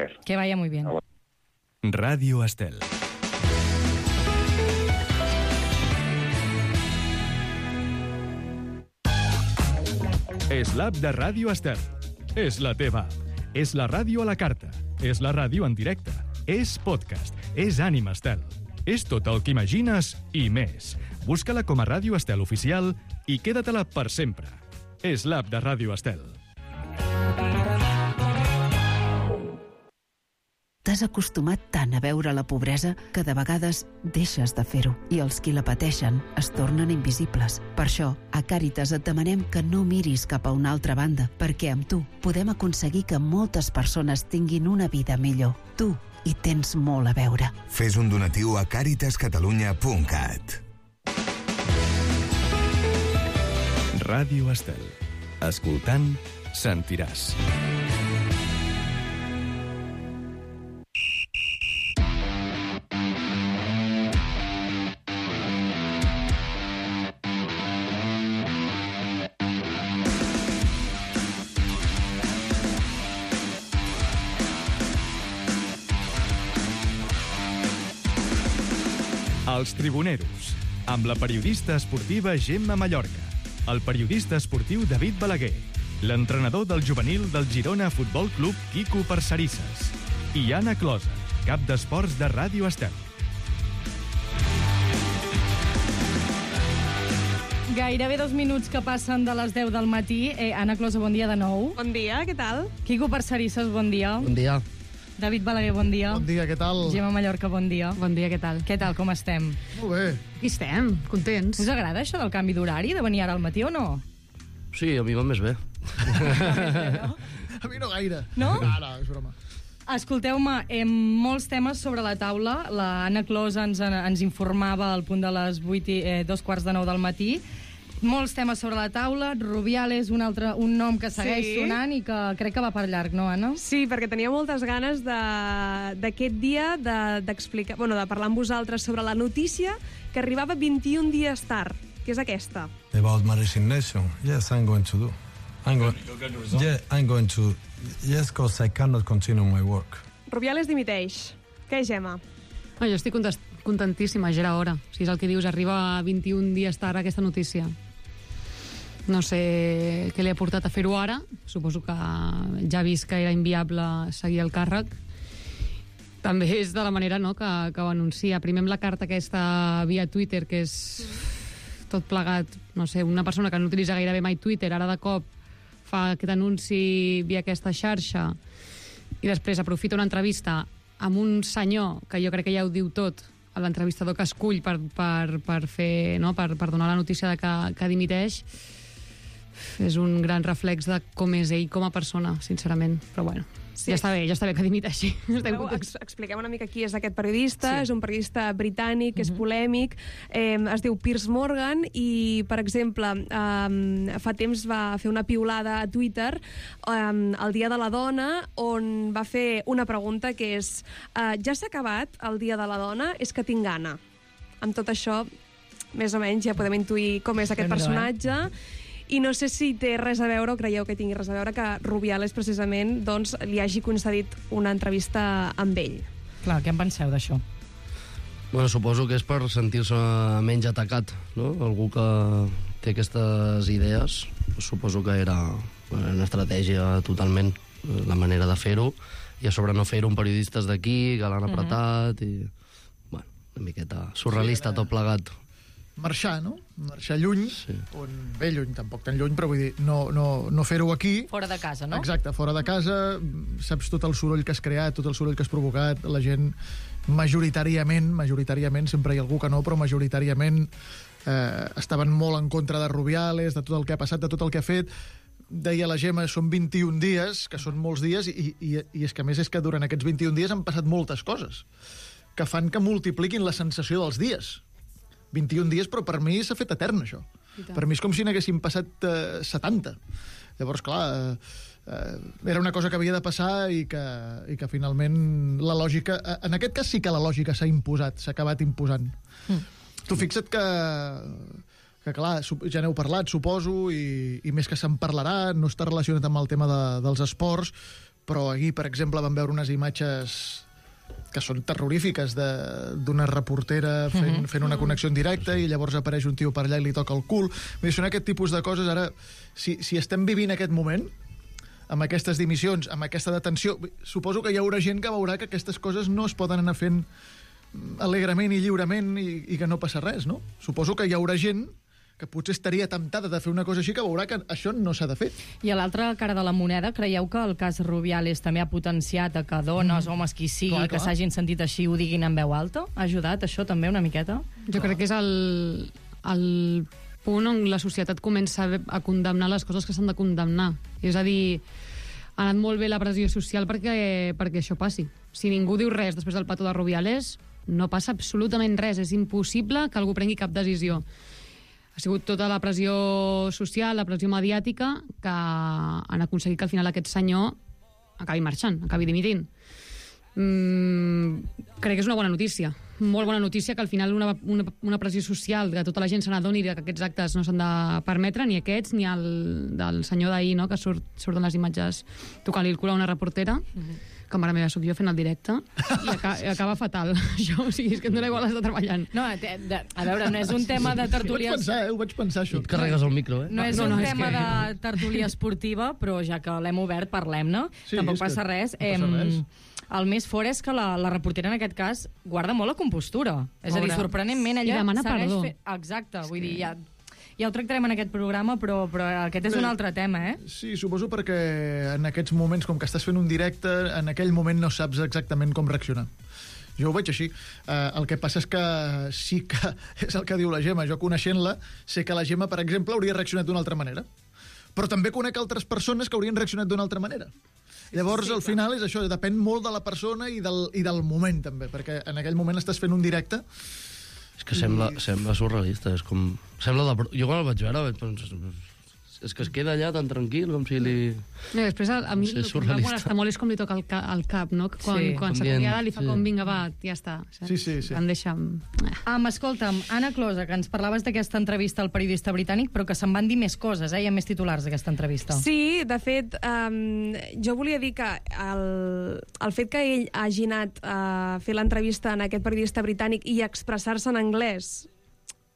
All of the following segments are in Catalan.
placer. Que vaya muy bien. Radio Estel. És l'app de Ràdio Estel. És la teva app. És la ràdio a la carta. És la ràdio en directe. És podcast. És Ànima Estel. És tot el que imagines i més. Busca-la com a Ràdio Estel Oficial i queda-te-la per sempre. És l'app de Ràdio Estel. T'has acostumat tant a veure la pobresa que de vegades deixes de fer-ho i els qui la pateixen es tornen invisibles. Per això, a Càritas et demanem que no miris cap a una altra banda, perquè amb tu podem aconseguir que moltes persones tinguin una vida millor. Tu hi tens molt a veure. Fes un donatiu a caritascatalunya.cat. Ràdio Estel. Escoltant, sentiràs. Els Tribuneros, amb la periodista esportiva Gemma Mallorca, el periodista esportiu David Balaguer, l'entrenador del juvenil del Girona Futbol Club Quico Parcerisses i Anna Closa, cap d'esports de Ràdio Estel. Gairebé 2 minuts que passen de les 10 del matí. Anna Closa, bon dia de nou. Bon dia, què tal? Quico Parcerisses, bon dia. Bon dia. David Balaguer, bon dia. Bon dia, què tal? Gemma Mallorca, bon dia. Bon dia, què tal? Què tal, com estem? Molt bé. Aquí estem, contents. Us agrada això del canvi d'horari, de venir ara al matí o no? Sí, a mi va més bé. A mi no gaire. No? No, és broma. Escolteu-me, molts temes sobre la taula. La Anna Closa ens informava al punt de les 8 i 2:15 del matí. Molts temes sobre la taula. Rubiales, un nom que segueix sonant i que crec que va per llarg, no, Anna? Sí, perquè tenia moltes ganes d'aquest dia d'explicar, de parlar amb vosaltres sobre la notícia que arribava 21 dies tard, que és aquesta. About my resignation, yes, I'm going to do. I'm going to, yes, because I cannot continue my work. Rubiales dimiteix. Què, Gemma? Jo estic contentíssima, ja era hora. Si és el que dius, arriba 21 dies tard aquesta notícia. No sé què li ha portat a fer-ho ara. Suposo que ja ha vist que era inviable seguir el càrrec. També és de la manera, no, que ho anuncia. Primer amb la carta aquesta via Twitter, que és tot plegat, no sé, una persona que no utilitza gairebé mai Twitter, ara de cop fa aquest anunci via aquesta xarxa i després aprofita una entrevista amb un senyor que jo crec que ja ho diu tot, l'entrevistador que escull per fer, no, per donar la notícia de que dimiteix. És un gran reflex de com és ell com a persona, sincerament, però bueno, sí. ja està bé que dimiteixi. Expliquem una mica qui és aquest periodista. Sí. És un periodista britànic, és polèmic, es diu Piers Morgan i, per exemple, fa temps va fer una piulada a Twitter el Dia de la Dona, on va fer una pregunta que és ja s'ha acabat el Dia de la Dona? És que tinc gana. Amb tot això, més o menys ja podem intuir com és aquest personatge. I no sé si té res a veure, o creieu que tingui res a veure, que Rubiales, precisament, doncs, li hagi concedit una entrevista amb ell. Clar, què en penseu d'això? Bueno, suposo que és per sentir-se menys atacat, no? Algú que té aquestes idees, suposo que era una estratègia totalment, la manera de fer-ho, i a sobre no fer-ho un periodistes d'aquí, que l'han apretat, i, bueno, una miqueta surrealista tot plegat. Marxar, no? Marxar lluny, sí. Bé lluny, tampoc tan lluny, però vull dir, no fer-ho aquí. Fora de casa, no? Exacte, fora de casa, saps tot el soroll que has creat, tot el soroll que has provocat, la gent majoritàriament, sempre hi ha algú que no, però majoritàriament estaven molt en contra de Rubiales, de tot el que ha passat, de tot el que ha fet. Deia la Gemma, són 21 dies, que són molts dies, i és que a més és que durant aquests 21 dies han passat moltes coses que fan que multipliquin la sensació dels dies. 21 dies, però per mi s'ha fet etern, això. Per mi és com si n'haguessin passat 70. Llavors, clar, era una cosa que havia de passar i que finalment la lògica... En aquest cas sí que la lògica s'ha imposat, s'ha acabat imposant. Tu fixa't que clar, ja n'heu parlat, suposo, i més que se'n parlarà, no està relacionat amb el tema dels esports, però ahir, per exemple, vam veure unes imatges que són terrorífiques d'una reportera fent una connexió en directe i llavors apareix un tio per allà i li toca el cul. Vull dir, són aquest tipus de coses. Ara, si estem vivint aquest moment, amb aquestes dimissions, amb aquesta detenció, suposo que hi haurà gent que veurà que aquestes coses no es poden anar fent alegrement i lliurement i que no passa res, no? Suposo que hi haurà gent que potser estaria temptada de fer una cosa així, que veurà que això no s'ha de fer. I a l'altra cara de la moneda, creieu que el cas Rubiales també ha potenciat a que dones, homes, qui sigui, que s'hagin sentit així, ho diguin en veu alta? Ha ajudat això també una miqueta? Jo crec que és el punt on la societat comença a condemnar les coses que s'han de condemnar. És a dir, ha anat molt bé la pressió social perquè això passi. Si ningú diu res després del petó de Rubiales, no passa absolutament res. És impossible que algú prengui cap decisió. Ha sigut tota la pressió social, la pressió mediàtica, que han aconseguit que al final aquest senyor acabi marxant, acabi dimitint. Crec que és una bona notícia. Molt bona notícia que al final una pressió social, que tota la gent se n'adoni que aquests actes no s'han de permetre, ni aquests, ni el del senyor d'ahir, no?, que surten les imatges tocant-li el cul a una reportera, que mare meva, soc jo fent el directe, i acaba fatal. Això, o sigui, és que em dona igual estar treballant. No, a veure, no és un tema de tertúlia... Ho vaig pensar, això. Et carregues el micro, eh? No és un tema de tertúlia esportiva, però ja que l'hem obert, parlem-ne. Tampoc passa res. El més fort és que la reportera, en aquest cas, guarda molt la compostura. És a dir, sorprenentment, ella... I demana perdó. Exacte, vull dir, ja ho tractarem en aquest programa, però aquest és un altre tema, eh? Sí, suposo perquè en aquests moments, com que estàs fent un directe, en aquell moment no saps exactament com reaccionar. Jo ho veig així. El que passa és que sí que és el que diu la Gemma. Jo, coneixent-la, sé que la Gemma, per exemple, hauria reaccionat d'una altra manera. Però també conec altres persones que haurien reaccionat d'una altra manera. Llavors, al final, és això, depèn molt de la persona i del moment, també, perquè en aquell moment estàs fent un directe. És que sembla surrealista, és com... Jo quan el vaig veure vaig pensar... És que es queda allà tan tranquil com si li... Després a mi el que em va molestar molt és com li toca el cap, no? Quan s'acomiada li fa com, vinga, va, ja està. Sí. Em deixa... Escolta'm, Anna Closa, que ens parlaves d'aquesta entrevista al periodista britànic, però que se'n van dir més coses, hi ha més titulars d'aquesta entrevista. Sí, de fet, jo volia dir que el fet que ell hagi anat a fer l'entrevista en aquest periodista britànic i expressar-se en anglès,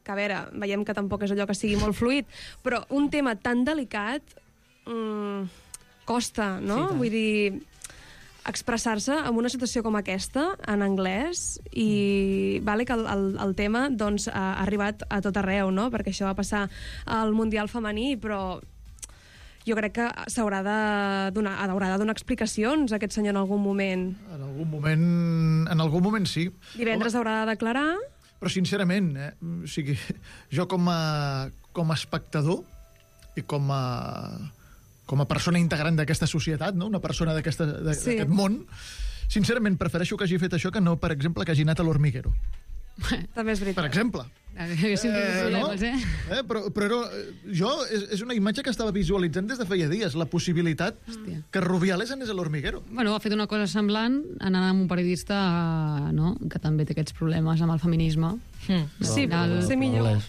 que a veure, veiem que tampoc és allò que sigui molt fluid, però un tema tan delicat costa, no? Sí, vull dir, expressar-se en una situació com aquesta, en anglès, i vale que el tema doncs, ha arribat a tot arreu, no? Perquè això va passar al Mundial femení, però jo crec que haurà de donar explicacions a aquest senyor en algun moment. En algun moment sí. Divendres haurà de declarar... Però sincerament, o sigui, jo com a espectador i com a persona integrant d'aquesta societat, no? Una persona d'aquest món, sincerament prefereixo que hagi fet això que no, per exemple, que hagi anat a l'Hormiguero. També és veritat. Per exemple. Però és una imatge que estava visualitzant des de feia dies, la possibilitat que Rubiales anés a l'Hormiguero. Bueno, ha fet una cosa semblant anant amb un periodista que també té aquests problemes amb el feminisme. Sí, però ser millor.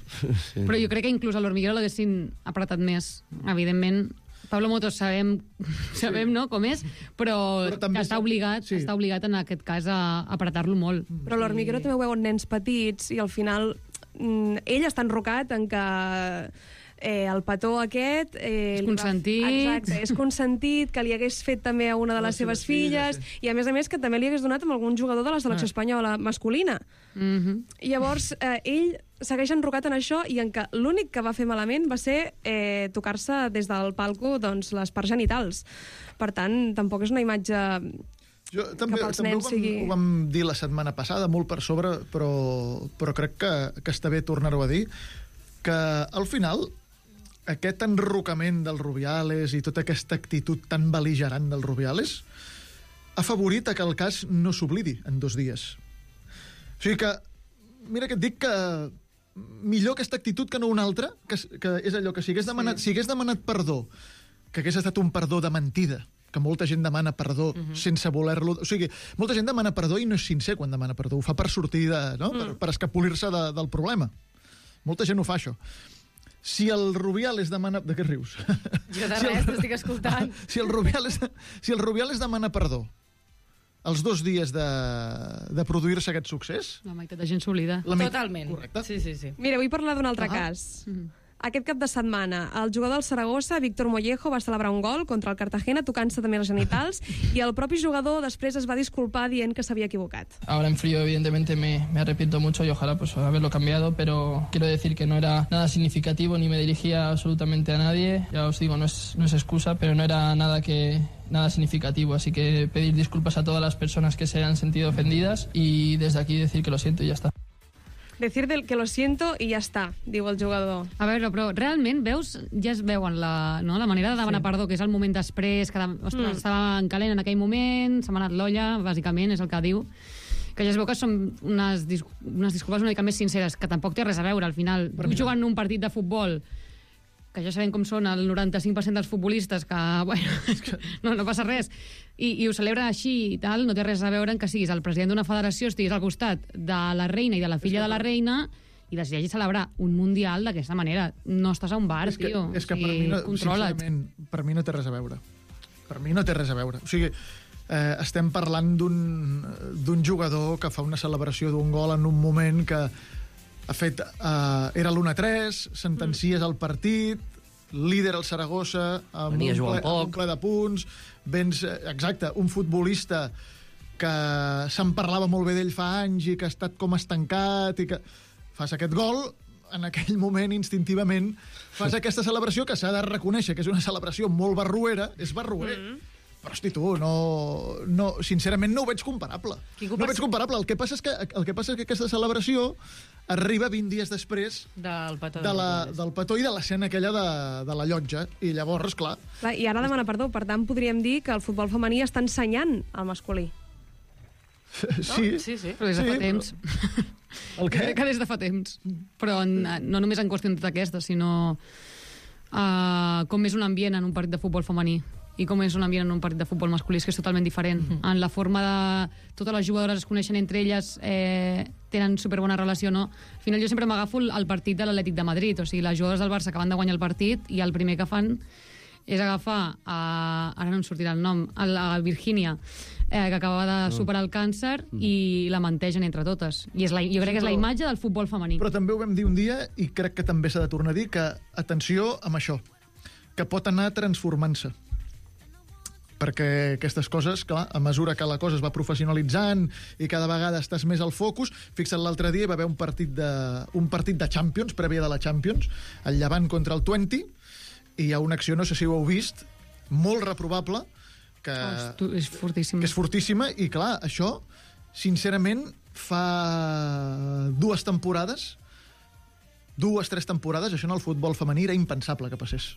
Però jo crec que inclús a l'Hormiguero l'haguessin apretat més, evidentment. Pablo Motos sabem no, com és, però està obligat en aquest cas a apretar-lo molt. Però a l'Hormiguero també ho veuen nens petits i al final ell està enrocat en que el petó aquest... és consentit. Exacte, és consentit, que li hagués fet també a una de les seves filles, i a més que també li hagués donat amb algun jugador de la selecció espanyola masculina. I llavors ell segueix enrocat en això i en què l'únic que va fer malament va ser tocar-se des del palco doncs, les parts genitals. Per tant, tampoc és una imatge... També ho vam dir la setmana passada, molt per sobre, però crec que està bé tornar-ho a dir, que al final aquest enrocament del Rubiales i tota aquesta actitud tan bel·ligerant del Rubiales ha favorit que el cas no s'oblidi en 2 dies. O sigui que, mira que et dic que millor aquesta actitud que no una altra, que és allò que si hagués demanat perdó, que hagués estat un perdó de mentida, que molta gent demana perdó sense voler-lo... O sigui, molta gent demana perdó i no és sincer quan demana perdó. Ho fa per sortir per escapolir-se del problema. Molta gent ho fa, això. si el Rubiales demana... De què rius? Jo de res, t'estic escoltant. Si el Rubiales demana perdó els 2 dies de produir-se aquest succés... La meitat de gent s'oblida. Totalment. Correcte. Sí. Mira, vull parlar d'un altre cas. Aquest cap de setmana, el jugador del Saragossa, Víctor Mollejo, va celebrar un gol contra el Cartagena, tocant-se també els genitals, i el propi jugador després es va disculpar dient que s'havia equivocat. Ahora en frío, evidentemente, me arrepiento mucho y ojalá pues haberlo cambiado, pero quiero decir que no era nada significativo ni me dirigía absolutamente a nadie. Ya os digo, no es excusa, pero no era nada significativo, así que pedir disculpas a todas las personas que se han sentido ofendidas y desde aquí decir que lo siento y ya está. Decir que lo siento i ja està, diu el jugador. A veure, però realment, veus, ja es veuen la manera de demanar perdó, que és el moment després, que ostres, estava en calent en aquell moment, s'ha anat l'olla, bàsicament, és el que diu, que ja es veu que són unes disculpes una mica més sinceres, que tampoc té res a veure, al final. Tu jugant un partit de futbol, que ja sabem com són el 95% dels futbolistes, que, bueno, no passa res, i ho celebren així i tal, no té res a veure en que siguis el president d'una federació, estiguis al costat de la reina i de la filla de la reina i decideixis celebrar un mundial d'aquesta manera. No estàs a un bar, tio. És que per mi, sincerament, per mi no té res a veure. Per mi no té res a veure. O sigui, estem parlant d'un jugador que fa una celebració d'un gol en un moment que ha fet... era l'1-3, sentencies al partit, líder al Saragossa, amb un ple de punts, exacte, un futbolista que se'n parlava molt bé d'ell fa anys i que ha estat com estancat i que fas aquest gol, en aquell moment, instintivament, fas aquesta celebració que s'ha de reconèixer que és una celebració molt barruera, és barruer. Però, hosti, tu, sincerament no ho veig comparable. No ho veig comparable. El que passa és que aquesta celebració arriba 20 dies després del petó i de l'escena aquella de la llotja. I llavors, clar... I ara demana perdó. Per tant, podríem dir que el futbol femení està ensenyant al masculí. Sí. Però des de fa temps. El què? Crec que des de fa temps. Però no només en qüestions d'aquestes, sinó com és un ambient en un partit de futbol femení i com és un ambient en un partit de futbol masculí, és que és totalment diferent. En la forma de... Totes les jugadores es coneixen entre elles, tenen superbona relació, no? Al final jo sempre m'agafo el partit de l'Atlètic de Madrid, o sigui, les jugadores del Barça acaben de guanyar el partit i el primer que fan és agafar, ara no em sortirà el nom, a Virgínia, que acabava de superar el càncer i la mantegen entre totes. I jo crec que és la imatge del futbol femení. Però també ho vam dir un dia, i crec que també s'ha de tornar a dir, que atenció amb això, que pot anar transformant-se. Perquè aquestes coses, clar, a mesura que la cosa es va professionalitzant i cada vegada estàs més al focus, fixa't, l'altre dia hi va haver un partit de Champions, prèvia de la Champions, el Llevant contra el Twente, i hi ha una acció, no sé si ho heu vist, molt reprovable, que és fortíssima. Que és fortíssima, i clar, això, sincerament, fa 2 temporades, 2-3 temporades, això en el futbol femení era impensable que passés.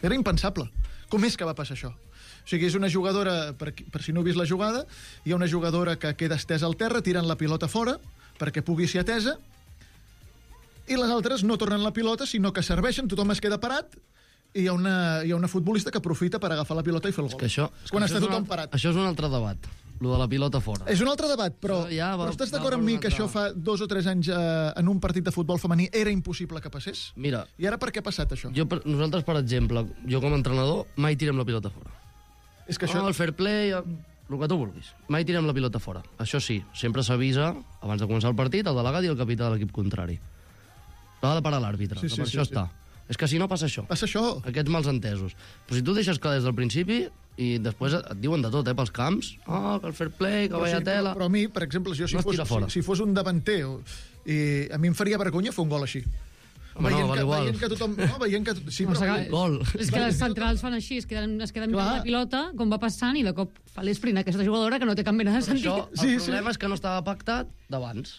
Era impensable. Com és que va passar això? O sigui, és una jugadora, per si no heu vist la jugada, hi ha una jugadora que queda estesa al terra, tiren la pilota fora perquè pugui ser atesa, i les altres no tornen la pilota, sinó que serveixen, tothom es queda parat, i hi ha una futbolista que aprofita per agafar la pilota i fer el gol. Quan està tothom parat. Això és un altre debat, lo de la pilota fora. És un altre debat, però estàs d'acord amb mi que això fa 2 o 3 anys en un partit de futbol femení era impossible que passés? Mira... I ara per què ha passat això? Nosaltres, per exemple, jo com a entrenador, mai tirem la pilota fora. És que això... el fair play, el que tu vulguis. Mai tirem la pilota fora. Això sí, sempre s'avisa, abans de començar el partit, el delegat i el capità de l'equip contrari. L'ha de parar l'àrbitre, per això està. És que si no passa això. Passa això. Aquests mals entesos. Però si tu deixes clar des del principi i després et diuen de tot, pels camps, que el fair play, que vaya tela... Però a mi, per exemple, si fos un davanter, a mi em faria vergonya fer un gol així. Veient que tothom... Veient que... Sí, però... Gol. És que les centrals fan així, es queden mirant la pilota, com va passant, i de cop fa l'esprint aquesta jugadora que no té cap mena de sentit. El problema és que no estava pactat d'abans.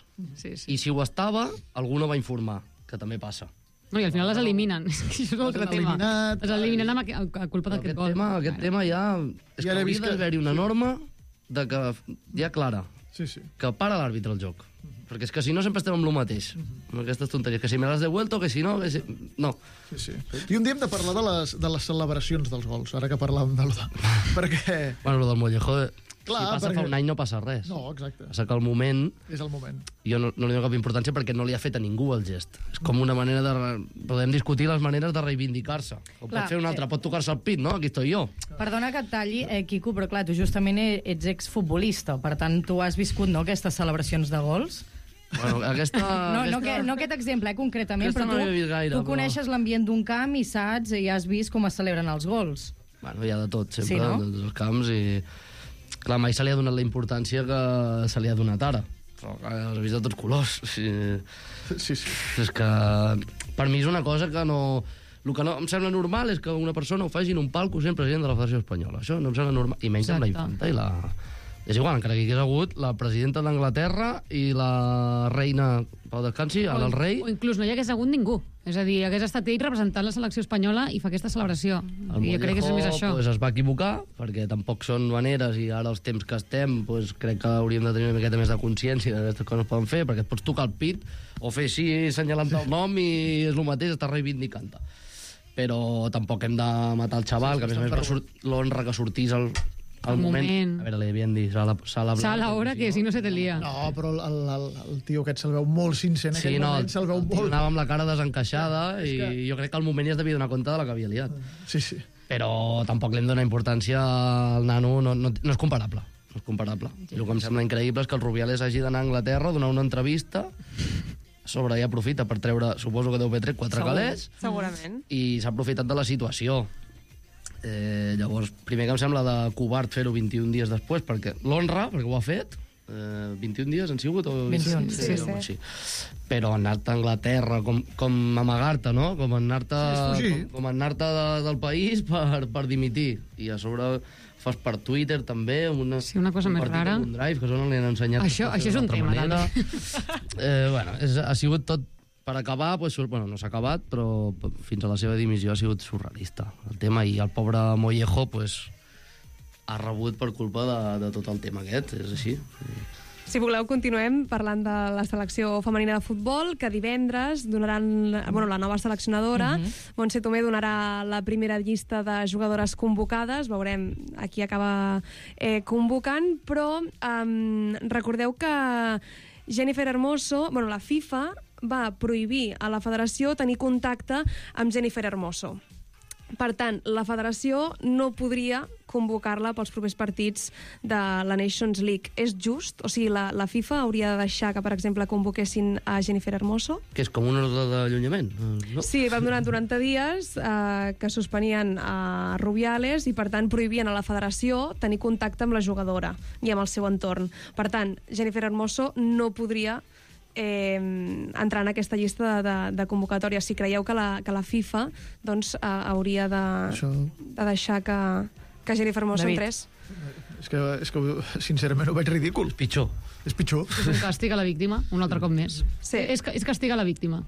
I si ho estava, algú no va informar, que també passa. No, i al final les eliminen. Això és un altre tema. Les eliminen a culpa d'aquest gol. Aquest tema ja... És que hauria d'haver-hi una norma ja clara, que para l'àrbitre el joc. Perquè és que si no sempre estem amb el mateix, amb aquestes tonteries, que si me l'has devuelto, que si no... No. I un dia hem de parlar de les celebracions dels gols, ara que parlàvem de l'Oda. Perquè... Bueno, el del Mollejo Clar, si passa perquè... fa un any no passa res. No, exacte. Passa que el moment... És el moment. Jo no li dono cap importància perquè no li ha fet a ningú el gest. És com una manera de... Podem discutir les maneres de reivindicar-se. O pot fer una altra, pot tocar-se el pit, no? Aquí estoy jo. Perdona que et talli, Quico, però clar, tu justament ets exfutbolista, per tant, tu has viscut, no?, aquestes celebracions de gols. Bueno, No aquest exemple, concretament, però tu coneixes l'ambient d'un camp i saps i has vist com es celebren els gols. Bueno, hi ha de tot, sempre, sí, no? de tots els camps, i... Clar, mai se li ha donat la importància que se li ha donat ara. Però els he vist de tots colors. Sí. És que per mi és una cosa que no... El que no em sembla normal és que una persona ho faci en un palco sent president de la Federació Espanyola. Això no em sembla normal. I menys amb la infanta i la... És igual, encara que hi hagués hagut la presidenta d'Anglaterra i la reina, Pau descansi, el rei... O inclús no hi hagués hagut ningú. És a dir, hagués estat ell representant la selecció espanyola i fa aquesta celebració. I jo crec que és més això. Pues, es va equivocar, perquè tampoc són maneres, i ara els temps que estem, pues, crec que hauríem de tenir una miqueta més de consciència que aquestes coses poden fer, perquè et pots tocar el pit o fer així, assenyalant el nom, i és el mateix, estàs reivindicant-te. Però tampoc hem de matar el xaval, que a més a més l'honra que sortís al moment. A veure, li havien dit sala hora, que si no se te lia. No, però el tio aquest se'l veu molt sincer en aquell moment, se'l veu molt... Anava amb la cara desencaixada i jo crec que al moment ja es devia donar compte de la que havia liat. Sí. Però tampoc li hem donat importància al nano, no és comparable. No és comparable. I el que em sembla increïble és que el Rubiales hagi d'anar a Anglaterra a donar una entrevista, a sobre ja aprofita per treure, suposo que deu haver tret 4 calés. Segurament. I s'ha aprofitat de la situació. Llavors, primer que em sembla de covard fer-ho 21 dies després, perquè l'honra, perquè ho ha fet, 21 dies han sigut? 21, sí. Però anar-te a Anglaterra, com amagar-te, no? Com anar-te del país per dimitir. I a sobre fas per Twitter, també, una cosa més rara. Un drive, que això no li han ensenyat. Això és un tema, també. Bueno, ha sigut tot... Per acabar, no s'ha acabat, però fins a la seva dimissió ha sigut surrealista el tema, i el pobre Mollejo ha rebut per culpa de tot el tema aquest, és així. Si voleu, continuem parlant de la selecció femenina de futbol, que divendres donaran la nova seleccionadora. Montse Tomé donarà la primera llista de jugadores convocades. Veurem a qui acaba convocant, però recordeu que Jennifer Hermoso, la FIFA va prohibir a la federació tenir contacte amb Jennifer Hermoso. Per tant, la federació no podria convocar-la pels propers partits de la Nations League. És just? O sigui, la FIFA hauria de deixar que, per exemple, convoquessin a Jennifer Hermoso? Que és com un ordre d'allunyament, no? Sí, van donar 90 dies que suspenien a Rubiales i, per tant, prohibien a la federació tenir contacte amb la jugadora i amb el seu entorn. Per tant, Jennifer Hermoso no podria entrar en aquesta llista de convocatòria. Si creieu que la FIFA hauria de deixar que Jennifer Hermoso entrés. És que sincerament ho veig ridícul. És pitjor. És un càstig a la víctima, un altre cop més. Sí. És castigar la víctima.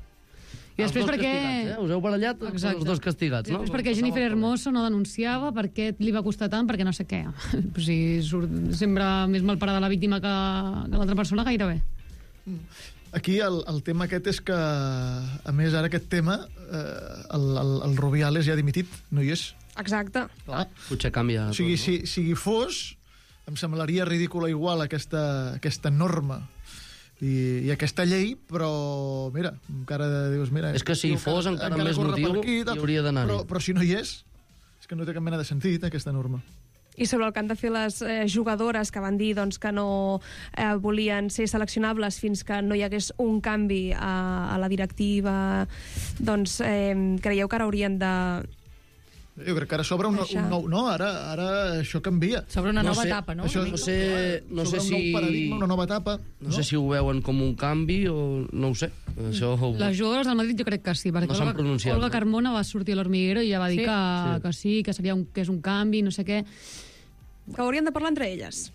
I després perquè... Us heu barallat els dos castigats, no? Després perquè Jennifer Hermoso no denunciava, perquè li va costar tant, perquè no sé què. Si sembla més malparada la víctima que l'altra persona, gairebé. Aquí el tema aquest és que, a més, ara aquest tema, el Rubiales ja ha dimitit, no hi és. Exacte. Potser canvia. O sigui, si hi fos, em semblaria ridícula igual aquesta norma i aquesta llei, però, mira, encara dius... Mira, és que si hi fos encara més motiu hi hauria d'anar-hi. Però si no hi és que no té cap mena de sentit, aquesta norma. I sobre el que han de fer les jugadores que van dir que no volien ser seleccionables fins que no hi hagués un canvi a la directiva, creieu que ara haurien de... Jo crec que ara s'obre un nou... No, ara això canvia. S'obre una nova etapa, no? No sé un nou paradigma, una nova etapa. No sé si ho veuen com un canvi o no ho sé. Les jugadores del Madrid jo crec que sí, perquè Olga Carmona va sortir a l'Hormiguero i ja va dir que sí, que és un canvi, no sé què. Que haurien de parlar entre elles.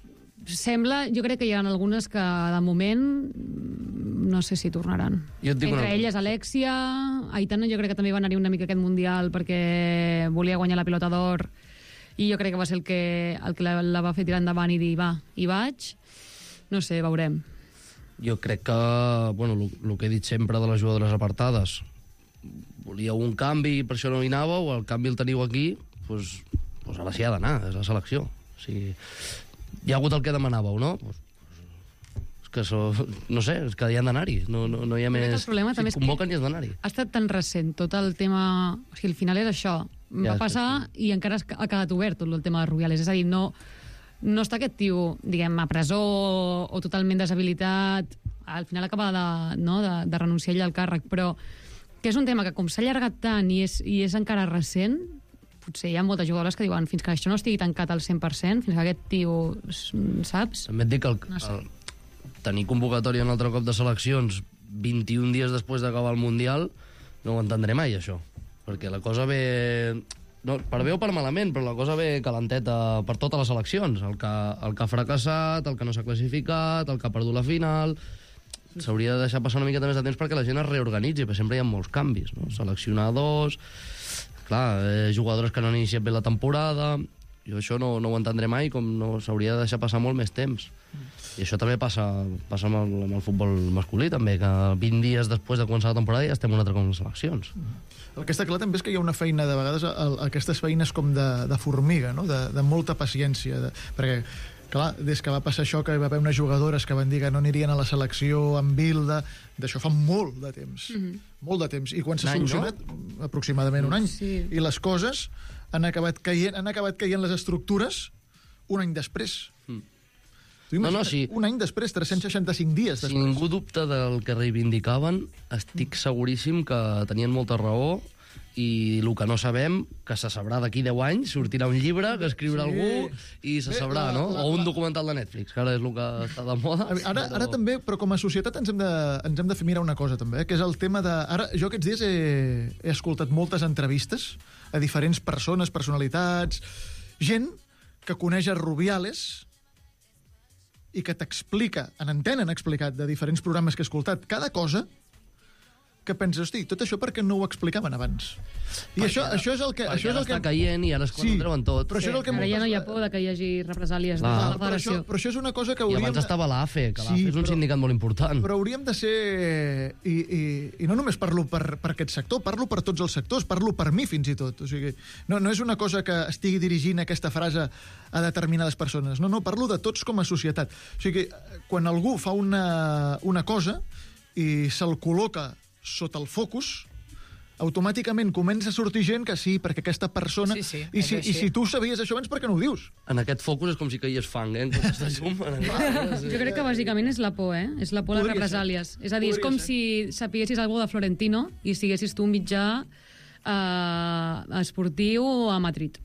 Sembla, jo crec que hi ha algunes que de moment no sé si tornaran. Entre elles Alexia, Aitana jo crec que també va anar-hi una mica aquest Mundial perquè volia guanyar la pilota d'or i jo crec que va ser el que la va fer tirar endavant i dir, va, hi vaig. No sé, veurem. Jo crec que, el que he dit sempre de les jugadores apartades, volíeu un canvi i per això no hi anàveu, el canvi el teniu aquí, doncs ara s'hi ha d'anar, és la selecció. O sigui, hi ha hagut el que demanàveu, no? És que no sé, és que hi han d'anar-hi. No hi ha més... El problema també si et convoquen i has d'anar-hi. Ha estat tan recent tot el tema... O sigui, al final és això. Va passar i encara ha quedat obert tot el tema de Rubiales. És a dir, no està aquest tio, diguem, a presó o totalment deshabilitat. Al final acaba de renunciar ell al càrrec, però que és un tema que com s'ha allargat tant i és encara recent, potser hi ha moltes jugadores que diuen fins que això no estigui tancat al 100%, fins que aquest tio, saps? També et dic que tenir convocatòria un altre cop de seleccions 21 dies després d'acabar el Mundial no ho entendré mai, això. Perquè la cosa ve... No, per bé o per malament, però la cosa ve calenteta per totes les seleccions. El que ha fracassat, el que no s'ha classificat, el que ha perdut la final... S'hauria de deixar passar una miqueta més de temps perquè la gent es reorganitzi, perquè sempre hi ha molts canvis, no? Seleccionadors, clar, jugadores que no han iniciat bé la temporada... Jo això no ho entendré mai, com no s'hauria de deixar passar molt més temps. I això també passa amb el futbol masculí, també, que 20 dies després de començar la temporada ja estem un altre com les seleccions. El que està clar també és que hi ha una feina, de vegades, aquestes feines com de formiga, no? De molta paciència, perquè clar, des que va passar això, que hi va haver unes jugadores que van dir que no anirien a la selecció amb Bilda, d'això fa molt de temps. Molt de temps. I quan s'ha solucionat, aproximadament un any. Sí. I les coses han acabat caient les estructures un any després. Sí. Un any després, 365 dies després. Si ningú dubta del que reivindicaven, estic seguríssim que tenien molta raó, i el que no sabem, que se sabrà d'aquí 10 anys, sortirà un llibre que escriurà algú i se sabrà, no? O un documental de Netflix, que ara és el que està de moda. Ara també, però com a societat ens hem de fer mirar una cosa també, que és el tema de... Ara, jo aquests dies he escoltat moltes entrevistes a diferents persones, personalitats, gent que coneix a Rubiales i que t'explica, en antena han explicat de diferents programes que he escoltat, cada cosa que penses, hosti, tot això per què no ho explicaven abans? I això és el que... Perquè ara està caient i ara és quan ho treuen tot. Però això és el que ara ja no hi ha por que hi hagi represàlies de la federació. Però això és una cosa que I hauríem... abans estava l'AFE, que l'AFE és un sindicat molt important. Però hauríem de ser... I no només parlo per aquest sector, parlo per tots els sectors, parlo per mi fins i tot. O sigui, no és una cosa que estigui dirigint aquesta frase a determinades persones. No, parlo de tots com a societat. O sigui, quan algú fa una cosa i se'l col·loca sota el focus, automàticament comença a sortir gent que sí, perquè aquesta persona... I si tu sabies això abans, per què no ho dius? En aquest focus és com si caigués fang, en comptes de llum. Jo crec que bàsicament és la por, És la por a les represàlies. És a dir, és com si sapiguessis alguna de Florentino i siguessis tu un mitjà esportiu a Madrid.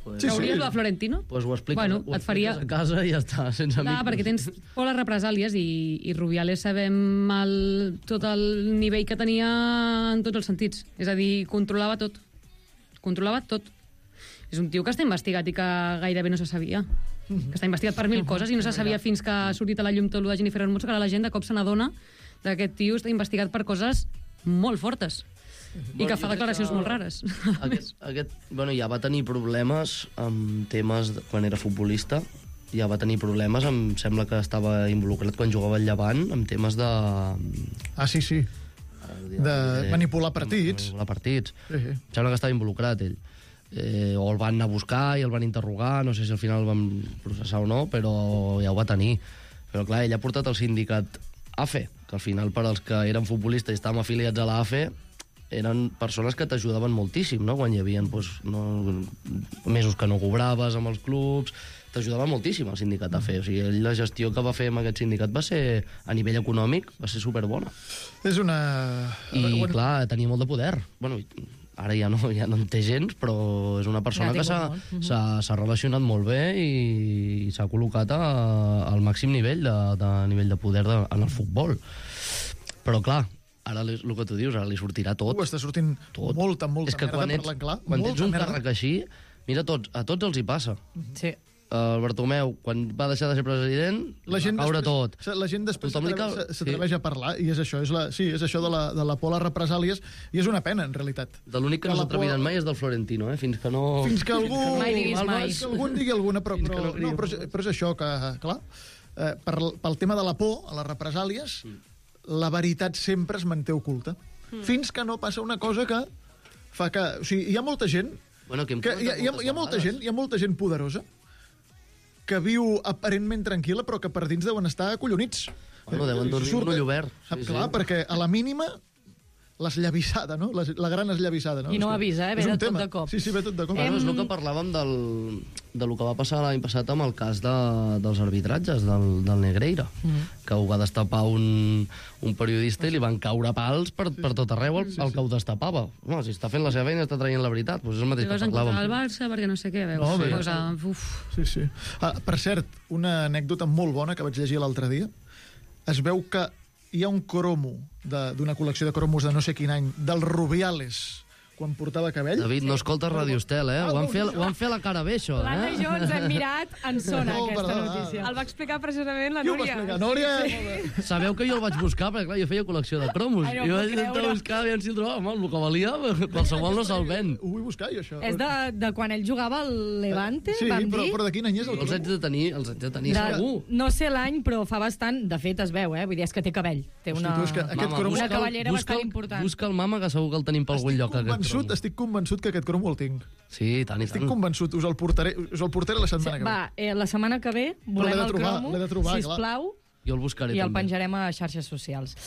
Trauries de Florentino? Doncs ho expliques, et faria a casa i ja està, sense amics. Perquè tens por a les represàlies i Rubiales sabem tot el nivell que tenia en tots els sentits. És a dir, controlava tot. Controlava tot. És un tio que està investigat i que gairebé no se sabia. Que està investigat per 1000 coses i no se sabia fins que ha sortit a la llum tot el de Jennifer Hermoso, que ara la gent de cop se n'adona que aquest tio està investigat per coses molt fortes. I que fa declaracions molt rares. Ja va tenir problemes amb temes... Quan era futbolista, ja va tenir problemes, em sembla que estava involucrat quan jugava al Llevant, amb temes de... Sí. De manipular partits. Manipular partits. Em sembla que estava involucrat, ell. O el van anar a buscar i el van interrogar, no sé si al final el van processar o no, però ja ho va tenir. Però clar, ell ha portat el sindicat AFE, que al final per als que eren futbolistes i estàvem afiliats a la AFE eren persones que t'ajudaven moltíssim, no? Quan hi havia mesos que no cobraves amb els clubs, t'ajudava moltíssim el sindicat a fer. O sigui, la gestió que va fer amb aquest sindicat va ser, a nivell econòmic, va ser superbona. És una... I, clar, tenia molt de poder. Bueno, ara ja no en té gens, però és una persona que s'ha relacionat molt bé i s'ha col·locat al màxim nivell de poder en el futbol. Però, clar, ara el que tu dius, ara li sortirà tot. Està sortint molta merda, parlant clar. Quan tens un càrrec així, mira, a tots els hi passa. Sí. El Bartomeu, quan va deixar de ser president, va caure tot. La gent després s'atreveix a parlar, i és això, és això de la por a les represàlies, i és una pena, en realitat. De l'únic que no s'atreviran mai és del Florentino, fins que no... Fins que algú... Mai diguis mai. Que algú en digui alguna, però és això que, clar, pel tema de la por a les represàlies, la veritat sempre es manté oculta. Fins que no passa una cosa que fa que... O sigui, hi ha molta gent... Bueno, hi ha molta gent poderosa que viu aparentment tranquil·la, però que per dins deuen estar acollonits. Bueno, deuen dormir amb l'ull obert. Clar, perquè a la mínima l'esllavissada, no? La gran esllavissada, no? I no avisa, ve de tot de cop. Sí, ve tot de cop. Bueno, és el que parlàvem de lo que va passar l'any passat amb el cas dels arbitratges del Negreira, que ho va destapar un periodista i li van caure pals per tot arreu el que ho destapava. No, si està fent la seva feina, està traient la veritat, doncs és el mateix que parlàvem. El Barça, perquè no sé què, veus? Sí. Per cert, una anècdota molt bona que vaig llegir l'altre dia. Es veu que hi ha un cromo d'una col·lecció de cromos de no sé quin any, dels Rubiales, quan portava cabell. David, no escoltes Radio Estel, eh? Ho han fet a la cara bé, això, L'Anna i jo ens hem mirat en zona, aquesta notícia. El va explicar precisament la Núria. Jo ho va explicar, Núria. Sabeu que jo el vaig buscar, perquè clar, jo feia col·lecció de cromos. I vaig intentar buscar, aviam si el trobava. El que valia, qualsevol no se'l ven. Ho vull buscar, jo, això. És de quan ell jugava al Levante, vam dir? Sí, però de quin any és el cromo? Els haig de tenir segur. No sé l'any, però fa bastant. De fet, es veu, Vull dir, és que té cabell. Té una cabellera bastant important. Busca el mama, que segur que el tenim per algun lloc. Estic convençut que aquest cromo el tinc. Sí, tant i tant. Estic convençut, us el portaré la setmana que ve. Va, la setmana que ve volem el cromo, sisplau, jo el buscaré i el també. penjarem a xarxes socials.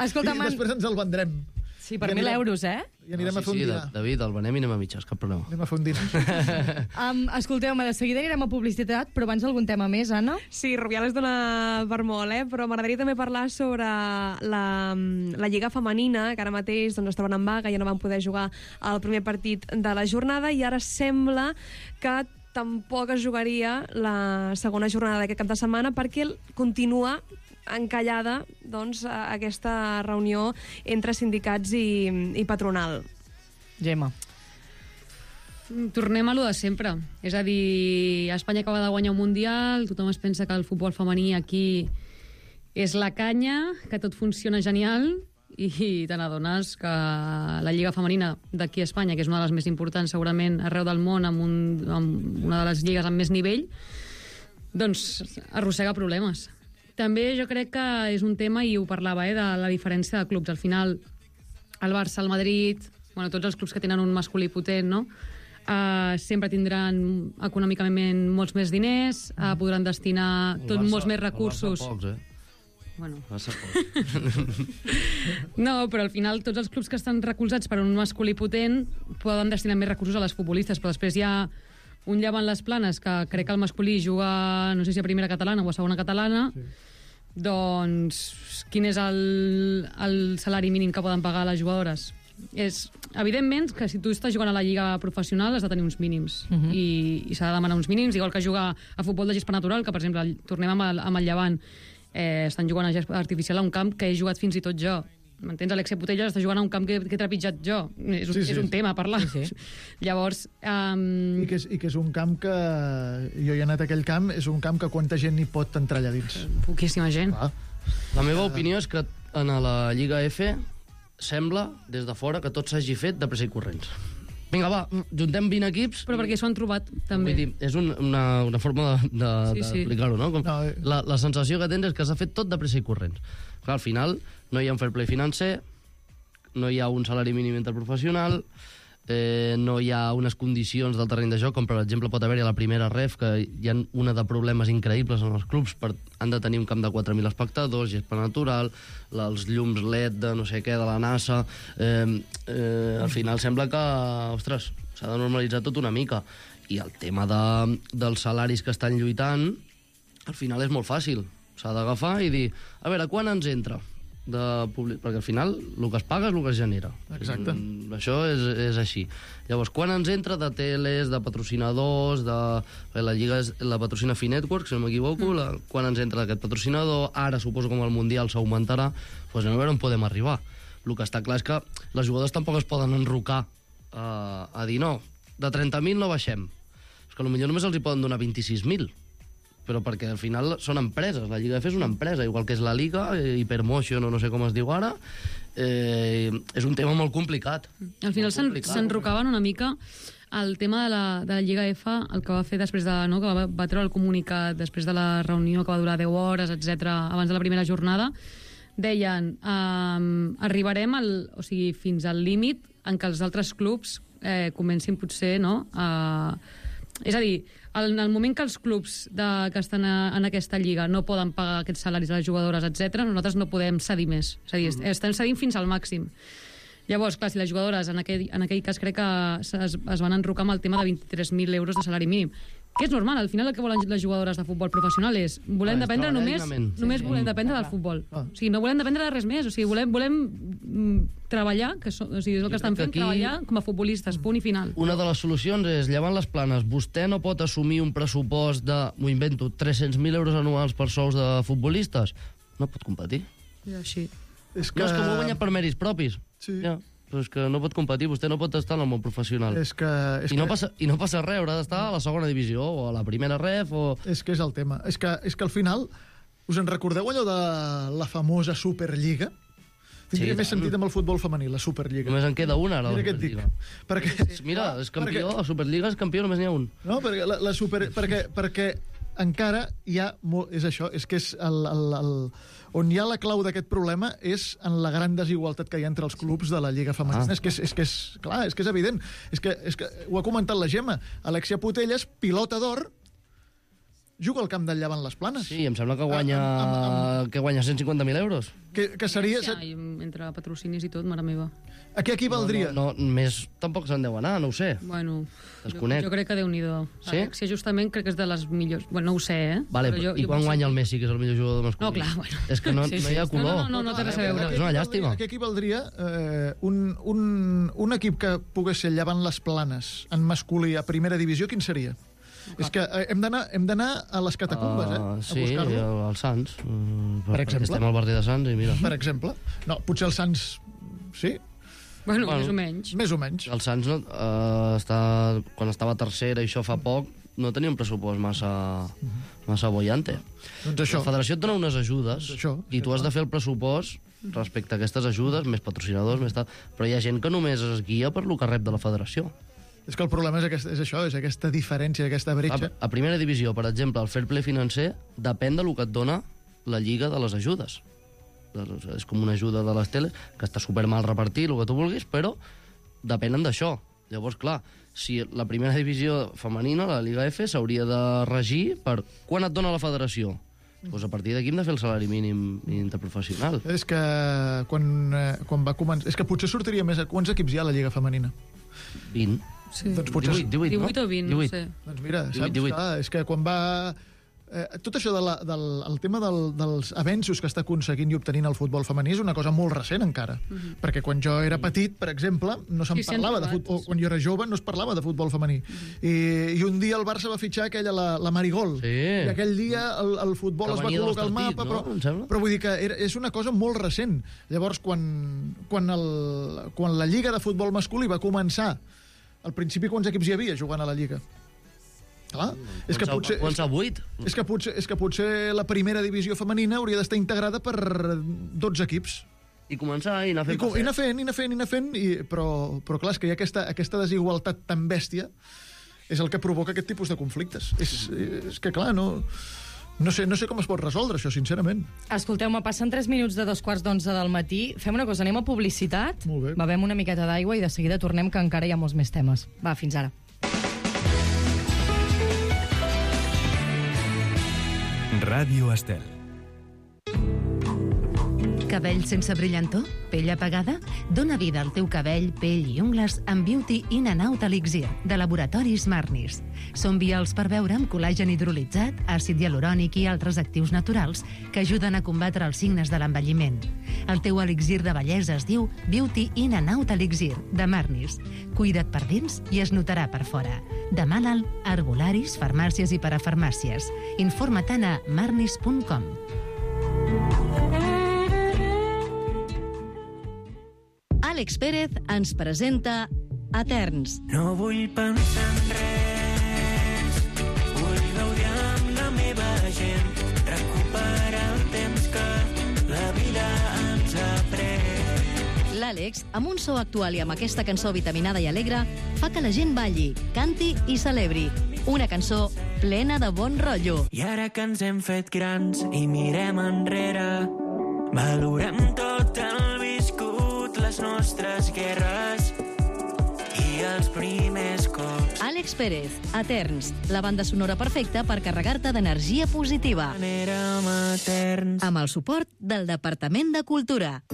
Escolta, I després ens el vendrem. Sí, per 1.000 euros, I anirem a fer un dinar. David, el venem i anem a mitges, cap problema. Anem a fer un dinar. Escolteu-me, de seguida anirem a publicitat, però abans algun tema més, Anna? Sí, Rubiales dona per molt, però m'agradaria també parlar sobre la Lliga Femenina, que ara mateix es troben en vaga, ja no van poder jugar el primer partit de la jornada, i ara sembla que tampoc es jugaria la segona jornada d'aquest cap de setmana perquè continua encallada aquesta reunió entre sindicats i patronal. Gemma. Tornem a lo de sempre. És a dir, Espanya acaba de guanyar un Mundial, tothom es pensa que el futbol femení aquí és la canya, que tot funciona genial, i te n'adones que la Lliga Femenina d'aquí a Espanya, que és una de les més importants segurament arreu del món, amb una de les lligues amb més nivell, doncs arrossega problemes. També jo crec que és un tema, i ho parlava, de la diferència de clubs. Al final, el Barça, el Madrid, tots els clubs que tenen un masculí potent, no? Sempre tindran econòmicament molts més diners, podran destinar molts més recursos. El Barça pocs, Bueno. No, però al final tots els clubs que estan recolzats per un masculí potent poden destinar més recursos a les futbolistes, però després hi ha un Llevant les Planes que crec que el masculí juga, no sé si a primera catalana o a segona catalana, doncs quin és el salari mínim que poden pagar les jugadores? Evidentment que si tu estàs jugant a la lliga professional has de tenir uns mínims i s'ha de demanar uns mínims, igual que jugar a futbol de gespa natural, que per exemple tornem amb el Llevant, estan jugant a gespa artificial a un camp que he jugat fins i tot jo. M'entens? Alexia Putellas està jugant a un camp que he trepitjat jo. És un tema a parlar. Llavors... I que és un camp que... Jo he anat a aquell camp, és un camp que quanta gent hi pot entrar allà dins? Poquíssima gent. La meva opinió és que en la Lliga F sembla, des de fora, que tot s'hagi fet de pressa i corrents. Vinga, va, juntem 20 equips... Però perquè s'ho han trobat, també. Vull dir, és una forma d'explicar-ho, no? La sensació que tens és que s'ha fet tot de pressa i corrents. Clar, al final no hi ha un fair play financer, no hi ha un salari mínim interprofessional, no hi ha unes condicions del terreny de joc, com per exemple pot haver-hi a la primera ref, que hi ha una de problemes increïbles en els clubs, han de tenir un camp de 4.000 espectadors, gespa natural, els llums LED de no sé què, de la NASA... Al final sembla que, ostres, s'ha de normalitzar tot una mica. I el tema dels salaris que estan lluitant, al final és molt fàcil. S'ha d'agafar i dir, a veure, quan ens entra? Perquè al final el que es paga és el que es genera. Exacte. Això és així. Llavors, quan ens entra de teles, de patrocinadors, la Lliga la patrocina Finetwork, si no m'equivoco, quan ens entra aquest patrocinador, ara suposo com el Mundial s'augmentarà, doncs anem a veure on podem arribar. El que està clar és que les jugadores tampoc es poden enrocar a dir no, de 30.000 no baixem. És que potser només els hi poden donar 26.000. Però perquè al final són empreses, la Lliga F és una empresa, igual que és la Liga, Hypermotion o no sé com es diu ara, és un tema molt complicat. Al final s'enrocaven una mica el tema de la Lliga F, el que va fer després de... No, que va treure el comunicat després de la reunió que va durar 10 hores, etc abans de la primera jornada, deien arribarem fins al límit en què els altres clubs comencin potser És a dir, en el moment que els clubs que estan en aquesta lliga no poden pagar aquests salaris a les jugadores, etc., nosaltres no podem cedir més. És a dir, estem cedint fins al màxim. Llavors, clar, si les jugadores, en aquell cas crec que es van enrocar amb el tema de 23.000 euros de salari mínim, que és normal, al final el que volen les jugadores de futbol professional és volem dependre només volem dependre del futbol. O sigui, no volem dependre de res més, o sigui, volem treballar, o sigui, és el que estan fent, treballar com a futbolistes, punt i final. Una de les solucions és, llevant les planes, vostè no pot assumir un pressupost de, m'ho invento, 300.000 euros anuals per sous de futbolistes? No pot competir. És així. És que vol guanyar per mèrits propis. Sí. Ja. Però és que no pot competir, vostè no pot estar en el món professional. I no passa res, haurà d'estar a la segona divisió o a la primera ref o... És que és el tema. És que al final, us en recordeu allò de la famosa Superliga? Tindria més sentit amb el futbol femení, la Superliga. Només en queda una, ara. Mira què et dic. Mira, és campió, la Superliga és campió, només n'hi ha un. No, perquè encara hi ha... És això, és que és on hi ha la clau d'aquest problema és en la gran desigualtat que hi ha entre els clubs de la Lliga Femenina. És que és evident. És que ho ha comentat la Gemma. Alexia Putellas, pilota d'or, juga al camp del Llevant Les Planes. Sí, em sembla que guanya 150.000 euros. Que seria... Sí, entre patrocinis i tot, mare meva. A què equivaldria? No, més tampoc se'n deu anar, no ho sé. Bueno, desconec. Jo crec que Déu-n'hi-do. Sí? Alexia justament crec que és de les millors... Bueno, no ho sé, Vale, i quan guanya el Messi, que és el millor jugador masculí? No, clar, bueno. És que no hi ha color. No té res a veure. És una llàstima. A què equivaldria un equip que pogués ser Llevant Les Planes en masculí a primera divisió, quin seria? És que hem d'anar a les catacumbes, a buscar-lo. Sí, al Sants. Per exemple. Estem al barri de Sants i mira. Per exemple. No, potser el Sants... Sí? Bueno, més o menys. Més o menys. El Sants, quan estava tercera i això fa poc, no tenia un pressupost massa bollante. Doncs això. La federació et dona unes ajudes i tu has de fer el pressupost respecte a aquestes ajudes, més patrocinadors, més tal. Però hi ha gent que només es guia per lo que rep de la federació. És que el problema és això, és aquesta diferència, aquesta bretxa. A primera divisió, per exemple, el fair play financer depèn del que et dona la lliga de les ajudes. És com una ajuda de les teles, que està super mal repartit, el que tu vulguis, però depenen d'això. Llavors, clar, si la primera divisió femenina, la Liga F, s'hauria de regir per quan et dona la federació. Doncs a partir d'aquí hem de fer el salari mínim interprofessional. És que quan va començar... És que potser sortiria més... Quants equips hi ha a la Lliga femenina? 20. Sí. Doncs potser... 18 o 20, no sé. Doncs mira, 18, saps? Clar, és que quan va... tot això del tema dels avenços que està aconseguint i obtenint el futbol femení és una cosa molt recent encara. Perquè quan jo era petit, per exemple, no se'n parlava de futbol. O quan jo era jove no es parlava de futbol femení. I un dia el Barça va fitxar aquella, la Marigol. Sí. I aquell dia el futbol es va col·locar al mapa. Però vull dir que és una cosa molt recent. Llavors, quan la Lliga de Futbol Masculí va començar, al principi quants equips hi havia jugant a la Lliga? Clar, és que potser la primera divisió femenina hauria d'estar integrada per 12 equips. I començar i anar fent. Però clar, és que hi ha aquesta desigualtat tan bèstia, és el que provoca aquest tipus de conflictes. És que clar, no sé com es pot resoldre això, sincerament. Escolteu-me, passen 3 minuts de 2:15 del matí. Fem una cosa, anem a publicitat, bevem una miqueta d'aigua i de seguida tornem, que encara hi ha molts més temes. Va, fins ara. Ràdio Estel. Cabell sense brillantor? Pell apagada? Dóna vida al teu cabell, pell i ungles amb Beauty In and Out Elixir, de Laboratoris Marnis. Són vials per beure amb col·làgen hidrolitzat, àcid hialurònic i altres actius naturals que ajuden a combatre els signes de l'envelliment. El teu elixir de bellesa es diu Beauty In and Out Elixir, de Marnis. Cuida't per dins i es notarà per fora. Demana'l a herbolaris, farmàcies i parafarmàcies. Informa-te'n a marnis.com. Àlex Pérez ens presenta Eterns. No vull pensar en res, vull gaudir amb la meva gent, recuperar el temps que la vida ens ha pres. L'Àlex, amb un so actual i amb aquesta cançó vitaminada i alegre, fa que la gent balli, canti i celebri. Una cançó plena de bon rotllo. I ara que ens hem fet grans i mirem enrere, valorem tot el viscut, les nostres guerres i els primers cops. Àlex Àlex Pérez, Eterns, la banda sonora perfecta per carregar-te d'energia positiva. Amb el suport del Departament de Cultura.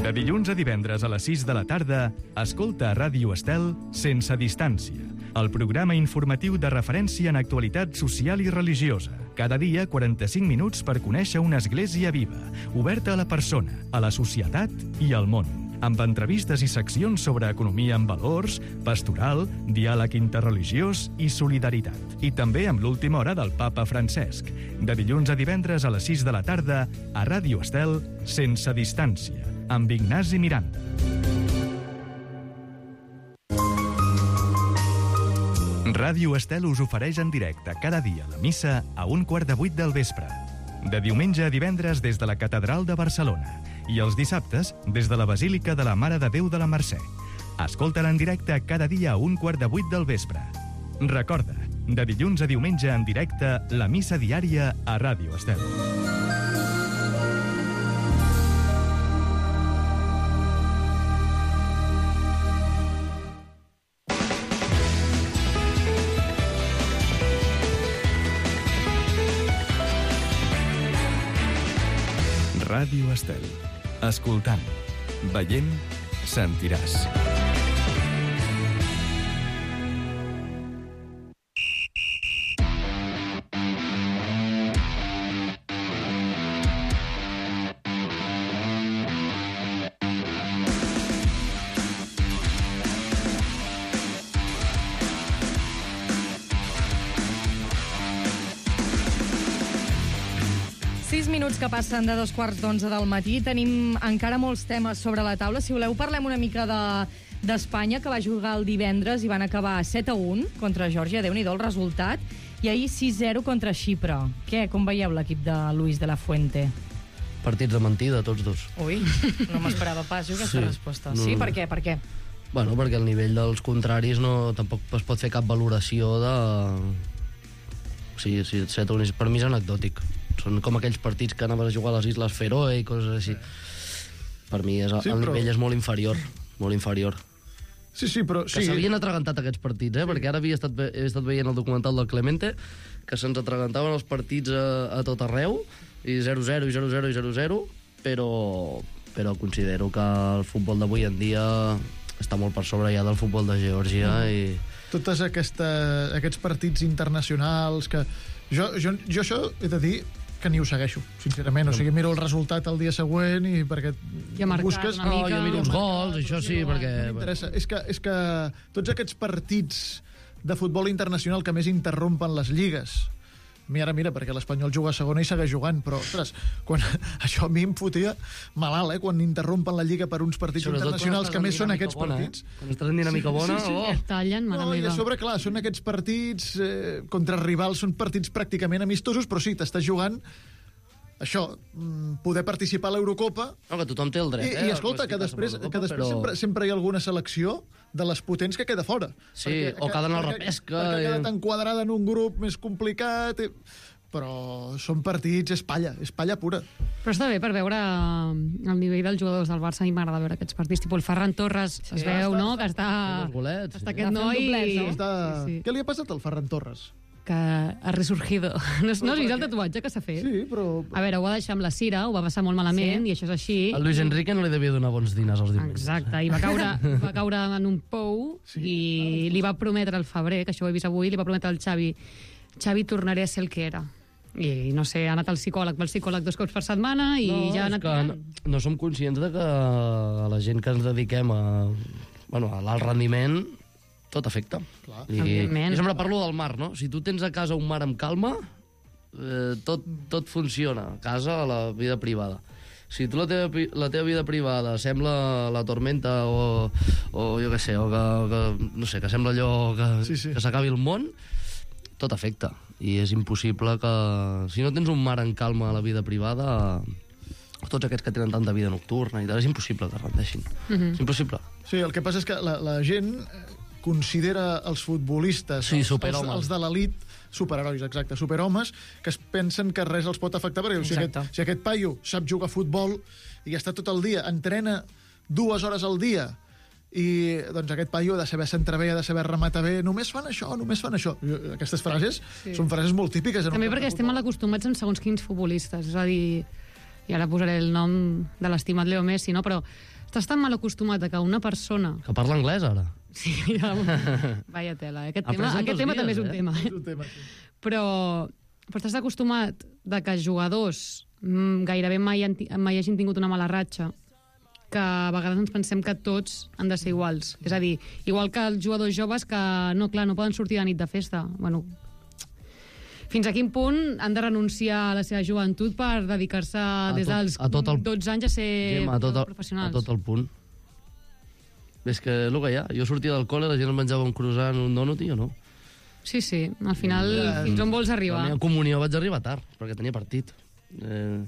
De dilluns a divendres a les 6 de la tarda, escolta a Ràdio Estel Sense Distància, el programa informatiu de referència en actualitat social i religiosa. Cada dia, 45 minuts per conèixer una església viva, oberta a la persona, a la societat i al món, amb entrevistes i seccions sobre economia amb valors, pastoral, diàleg interreligiós i solidaritat. I també amb l'última hora del papa Francesc. De dilluns a divendres a les 6 de la tarda, a Ràdio Estel Sense Distància, amb Ignasi Miranda. Ràdio Estel us ofereix en directe cada dia la missa a 7:15 del vespre. De diumenge a divendres des de la Catedral de Barcelona i els dissabtes des de la Basílica de la Mare de Déu de la Mercè. Escolta-la en directe cada dia a 7:15 del vespre. Recorda, de dilluns a diumenge en directe, la missa diària a Ràdio Estel. Ràdio Estel. Escoltant, veient, sentiràs. Que passen de 2:15 del matí. Tenim encara molts temes sobre la taula. Si voleu, parlem una mica d'Espanya, que va jugar el divendres i van acabar 7-1 contra Geòrgia. Déu-n'hi-do el resultat. I ahir 6-0 contra Xipre. Què? Com veieu l'equip de Luis de la Fuente? Partits de mentida, tots dos. Ui, no m'esperava pas jo aquesta resposta. No. Sí? Per què? Per què? Bueno, perquè el nivell dels contraris tampoc es pot fer cap valoració de... Sí, 7-1 per mi és anecdòtic. Són com aquells partits que anaves a jugar a les Isles Feroe i coses així. Per mi el nivell és molt inferior. Molt inferior. Sí, però... Que s'havien atragantat aquests partits, perquè ara he estat veient el documental del Clemente, que se'ns atragantaven els partits a tot arreu, i 0-0, i 0-0, i 0-0, però considero que el futbol d'avui en dia està molt per sobre ja del futbol de Geòrgia i... Totes aquests partits internacionals que... Jo això he de dir que ni ho segueixo, sincerament. O sigui, miro el resultat el dia següent i perquè busques... Jo miro uns gols, això sí, perquè... M'interessa. És que tots aquests partits de futbol internacional que més interrompen les lligues... Mira, perquè l'Espanyol juga a segona i segueix jugant, però, ostres, això a mi em fotia malalt, quan interrompen la Lliga per uns partits internacionals que més són aquests partits. Quan estàs en dinàmica bona... Et tallen, mare meva. I a sobre, clar, són aquests partits contra rivals, són partits pràcticament amistosos, però sí, t'estàs jugant això, poder participar a l'Eurocopa... No, que tothom té el dret, I escolta, que després sempre hi ha alguna selecció de les potents que queda fora. Sí, o que ha d'anar a la repesca... Perquè ha quedat enquadrada en un grup més complicat... Però són partits, és palla pura. Però està bé per veure el nivell dels jugadors del Barça. A mi m'agrada veure aquests partits. Tipus el Ferran Torres, es veu, no?, que està aquest noi... Què li ha passat al Ferran Torres? Que ha resurgido. No has vist el tatuatge que s'ha fet? Sí, però... A veure, ho va deixar amb la Cira, ho va passar molt malament, i això és així. El Luis Enrique no li devia donar bons dinars als diumenges. Exacte, i va caure en un pou, i li va prometre al febrer, que això ho he vist avui, li va prometre al Xavi, tornaré a ser el que era. I no sé, ha anat al psicòleg 2 cops per setmana i ja ha anat... No som conscients de que la gent que ens dediquem a l'alt rendiment tot afecta. I sempre parlo del mar, no? Si tu tens a casa un mar amb calma, tot funciona. A casa, a la vida privada. Si tu la teva vida privada sembla la tormenta o jo què sé, o que no sé, que sembla allò que s'acabi el món, tot afecta. I és impossible que... Si no tens un mar en calma a la vida privada, tots aquests que tenen tanta vida nocturna i tal, és impossible que rendeixin. És impossible. Sí, el que passa és que la gent considera els futbolistes, els de l'elit, superherois, exacte, superhomes, que es pensen que res els pot afectar, perquè si aquest paio sap jugar a futbol i està tot el dia, entrena 2 hores al dia i doncs aquest paio ha de saber centrar bé, ha de saber rematar bé, només fan això. Aquestes frases són frases molt típiques. També perquè estem mal acostumats en segons quins futbolistes, és a dir, i ara posaré el nom de l'estimat Leo Messi, no? Però estàs tan mal acostumat a que una persona... Que parla anglès, ara. Sí, ja... Vaya tela, aquest tema també és un tema. És un tema, sí. Però estàs acostumat de que jugadors gairebé mai hagin tingut una mala ratxa, que a vegades ens pensem que tots han de ser iguals. És a dir, igual que els jugadors joves que, no poden sortir de nit de festa. Bueno, fins a quin punt han de renunciar a la seva joventut per dedicar-se des dels 12 anys a ser professionals? A tot el punt. És que és el que hi ha. Jo sortia del col·le, la gent menjava un croissant, un donut i jo no. Sí, al final, fins on vols arribar? A la meva comunió vaig arribar tard, perquè tenia partit. Al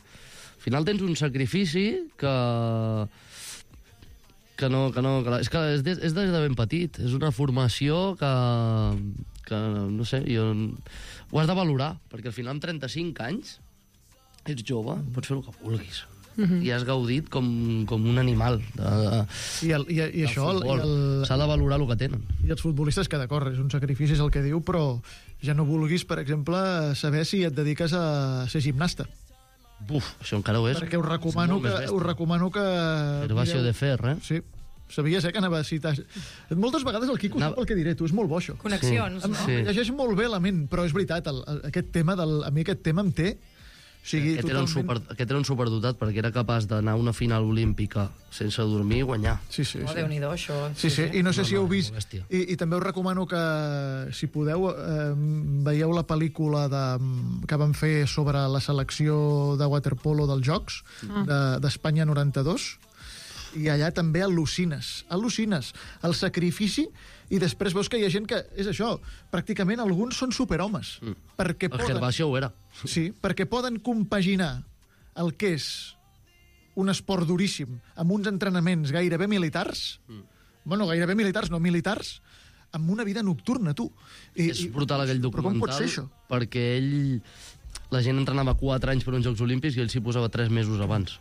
final tens un sacrifici que és que és des de ben petit, és una formació que no sé, ho has de valorar, perquè al final amb 35 anys ets jove, pots fer el que vulguis. I has gaudit com un animal I això s'ha de valorar el que tenen. I els futbolistes, que d'acord, és un sacrifici, és el que diu, però ja no vulguis, per exemple, saber si et dediques a ser gimnasta. Buf, això encara ho és. Perquè us recomano que Gervasio de Fer, Sí. Sabies, que anava a citar... Moltes vegades el Quico sap el que diré, tu, és molt bo, això. Connexions, no? Sí. Llegeix molt bé la ment, però és veritat, aquest tema, a mi aquest tema em té... Aquest era un superdotat, perquè era capaç d'anar a una final olímpica sense dormir i guanyar. Sí. Déu-n'hi-do, això. Sí. I no sé si heu vist... I també us recomano que, si podeu, veieu la pel·lícula que van fer sobre la selecció de waterpolo dels Jocs d'Espanya 92, i allà també al·lucines el sacrifici, i després veus que hi ha gent que, és això, pràcticament alguns són superhomes. Perquè el Gervasio ho era. Sí, perquè poden compaginar el que és un esport duríssim amb uns entrenaments gairebé militars, gairebé militars, no militars, amb una vida nocturna, tu. És brutal aquell documental, però com pot ser això? Perquè la gent entrenava 4 anys per uns Jocs Olímpics i ell s'hi posava 3 mesos abans.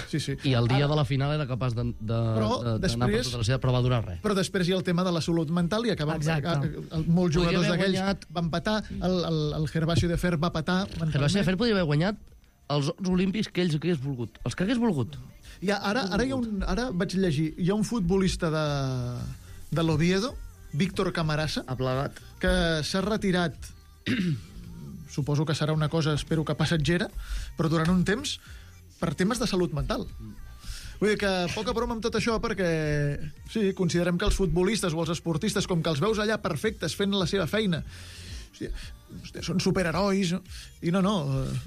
Sí. I el dia de la final era capaç d'anar per tota la seva, però va durar res. Però després hi ha el tema de la salut mental, i molts jugadors d'aquells van patar, el Gervasio de Fer va patar mentalment. Gervasio de Fer podria haver guanyat els Jocs Olímpics que ells hagués volgut. Els que hagués volgut. Ara vaig llegir, hi ha un futbolista de l'Oviedo, Víctor Camarasa, que s'ha retirat, suposo que serà una cosa, espero que passatgera, però durant un temps, per temes de salut mental. Vull dir que poca broma amb tot això, perquè sí, considerem que els futbolistes o els esportistes, com que els veus allà perfectes fent la seva feina, són superherois, i no,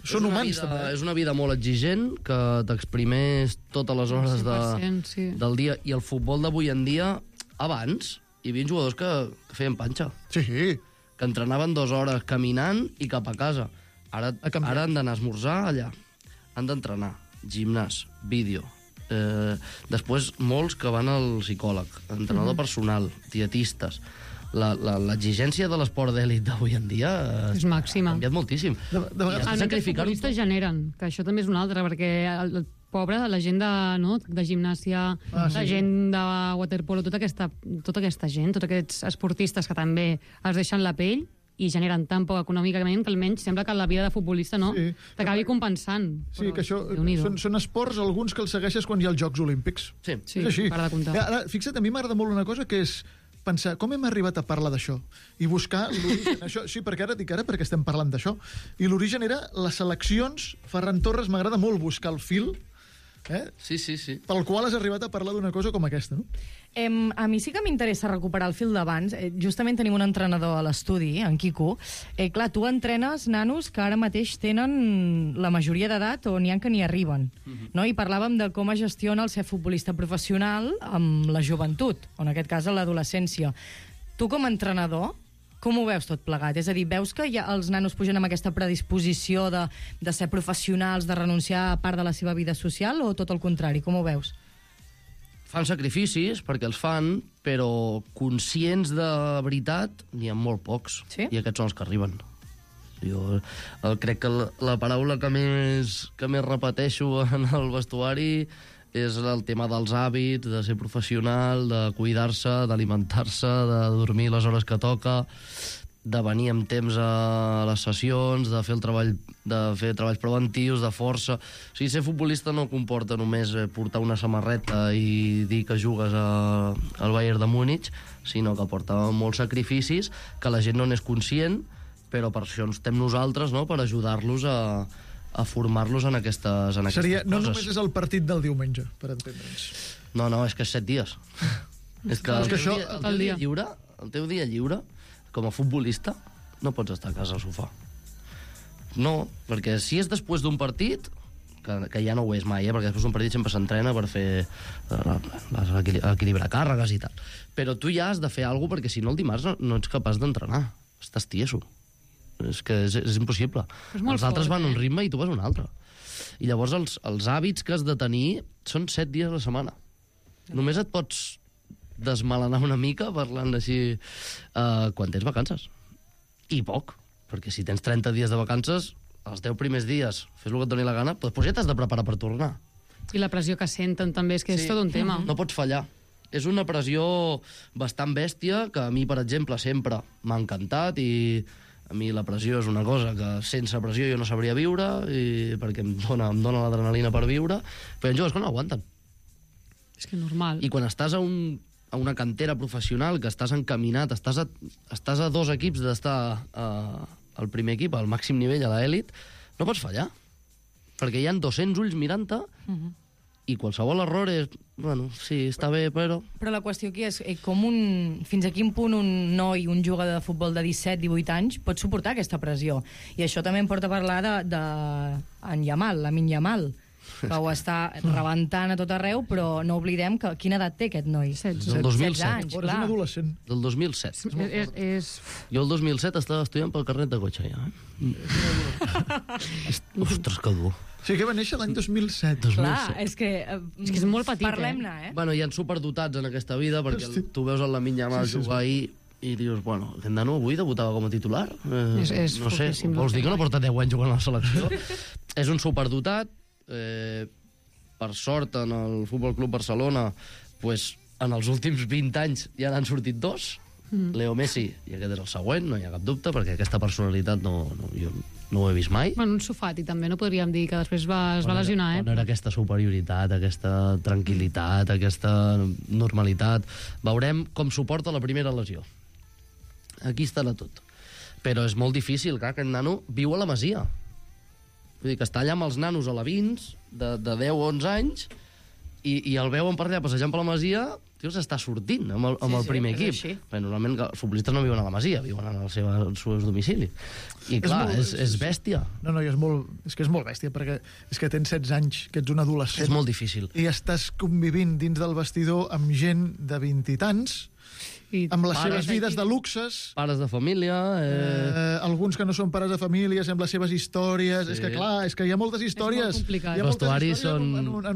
són humans també. És una vida molt exigent, que t'exprimeix totes les hores del dia, i el futbol d'avui en dia, abans hi havia jugadors que feien panxa. Sí. Que entrenaven 2 hores caminant i cap a casa. Ara han d'anar a esmorzar allà. Han d'entrenar. Gimnàs, vídeo. Després, molts que van al psicòleg, entrenador personal, dietistes. L'exigència de l'esport d'èlit d'avui en dia és màxima. Ha canviat moltíssim. Els futbolistes generen, que això també és una altra, perquè el pobre, la gent de gimnàsia, la gent de waterpolo, tota aquesta gent, tots aquests esportistes que també es deixen la pell i generen tan poc econòmicament que almenys sembla que la vida de futbolista t'acabi compensant. Sí, que això són esports, alguns que els segueixes quan hi ha els Jocs Olímpics. Sí, per de comptar. Ara, fixa't, a mi m'agrada molt una cosa, que és pensar, com hem arribat a parlar d'això? I buscar l'origen. Sí, perquè perquè estem parlant d'això. I l'origen era les seleccions. Ferran Torres, m'agrada molt buscar el fil, Sí. pel qual has arribat a parlar d'una cosa com aquesta, no? A mi sí que m'interessa recuperar el fil d'abans. Justament tenim un entrenador a l'estudi, en Quico. Clar, tu entrenes nanos que ara mateix tenen la majoria d'edat o n'hi ha que n'hi arriben. No? I parlàvem de com es gestiona el ser futbolista professional amb la joventut, o en aquest cas a l'adolescència. Tu, com a entrenador, com ho veus tot plegat? És a dir, veus que ja els nanos pugen amb aquesta predisposició de ser professionals, de renunciar a part de la seva vida social, o tot el contrari? Com ho veus? Fan sacrificis, perquè els fan, però conscients de veritat n'hi ha molt pocs. Sí? I aquests són els que arriben. Jo crec que la paraula que més repeteixo en el vestuari és el tema dels hàbits, de ser professional, de cuidar-se, d'alimentar-se, de dormir les hores que toca, de venir amb temps a les sessions, de fer treballs preventius, de força. O sigui, ser futbolista no comporta només portar una samarreta i dir que jugues al Bayern de Múnich, sinó que porta molts sacrificis que la gent no n'és conscient, però per això estem nosaltres, no?, per ajudar-los a formar-los en aquestes Seria, coses. no només és el partit del diumenge, per entendre'ns. No, és que és 7 dies. És que el teu dia lliure, com a futbolista, no pots estar a casa al sofà. No, perquè si és després d'un partit, que ja no ho és mai, perquè després d'un partit sempre s'entrena per fer equilibrar càrregues i tal. Però tu ja has de fer alguna cosa, perquè si no el dimarts no ets capaç d'entrenar. Estàs tieso. És que és impossible. Els altres van a un ritme i tu vas a un altre. I llavors els hàbits que has de tenir són 7 dies a la setmana. Només et pots desmelenar una mica parlant així quan tens vacances. I poc, perquè si tens 30 dies de vacances, els 10 primers dies fes el que et doni la gana, després ja t'has de preparar per tornar. I la pressió que senten també, és que és tot un tema. No pots fallar. És una pressió bastant bèstia, que a mi, per exemple, sempre m'ha encantat, i a mi la pressió és una cosa que sense pressió jo no sabria viure, perquè em dona l'adrenalina per viure, però hi ha joves que no aguanten. És que normal. I quan estàs a una cantera professional, que estàs encaminat, estàs a 2 equips d'estar al primer equip, al màxim nivell, a l'elit, no pots fallar. Perquè hi ha 200 ulls mirant-te, i qualsevol error és... Bueno, sí, està bé, però... Però la qüestió aquí és fins a quin punt un noi, un jugador de futbol de 17-18 anys pot suportar aquesta pressió. I això també em porta a parlar d'en Yamal, Lamine Yamal, que ho està rebentant a tot arreu, però no oblidem que quina edat té aquest noi? 16 del 2007. anys, És un adolescent. Del 2007. És... Jo el 2007 estava estudiant pel carnet de cotxe, ja. Ostres, que dur. Sí, que va néixer l'any 2007. Clar, és que és molt petit, parlem-ne, Bueno, hi ha superdotats en aquesta vida, perquè tu veus el Lamine Yamal jugar ahir i dius, bueno, aquest nano avui debutava com a titular. No sé, vols dir que no porta 10 anys jugant a la selecció? És un superdotat. Per sort, en el Futbol Club Barcelona, pues, en els últims 20 anys ja n'han sortit 2. Leo Messi, i aquest és el següent, no hi ha cap dubte, perquè aquesta personalitat jo no ho he vist mai. Bueno, un Sofati també, no podríem dir que després es va lesionar, No era aquesta superioritat, aquesta tranquil·litat, aquesta normalitat. Veurem com suporta la primera lesió. Aquí estarà tot. Però és molt difícil, clar, aquest nano viu a la Masia. Vull dir que està allà amb els nanos alevins de 10 o 11 anys i el veuen per allà passejant per la Masia, s'està sortint amb el primer equip. Perquè normalment els futbolistes no viuen a la Masia, viuen al seu domicili. I clar, és bèstia. No, és que és molt bèstia, perquè és que tens 16 anys, que ets un adolescent. És molt difícil. I estàs convivint dins del vestidor amb gent de 20 i tants, amb les seves vides de luxes, pares de família, alguns que no són pares de famílies, amb les seves històries. És que clar, és que hi ha moltes històries. És molt complicat. Hi ha moltes històries en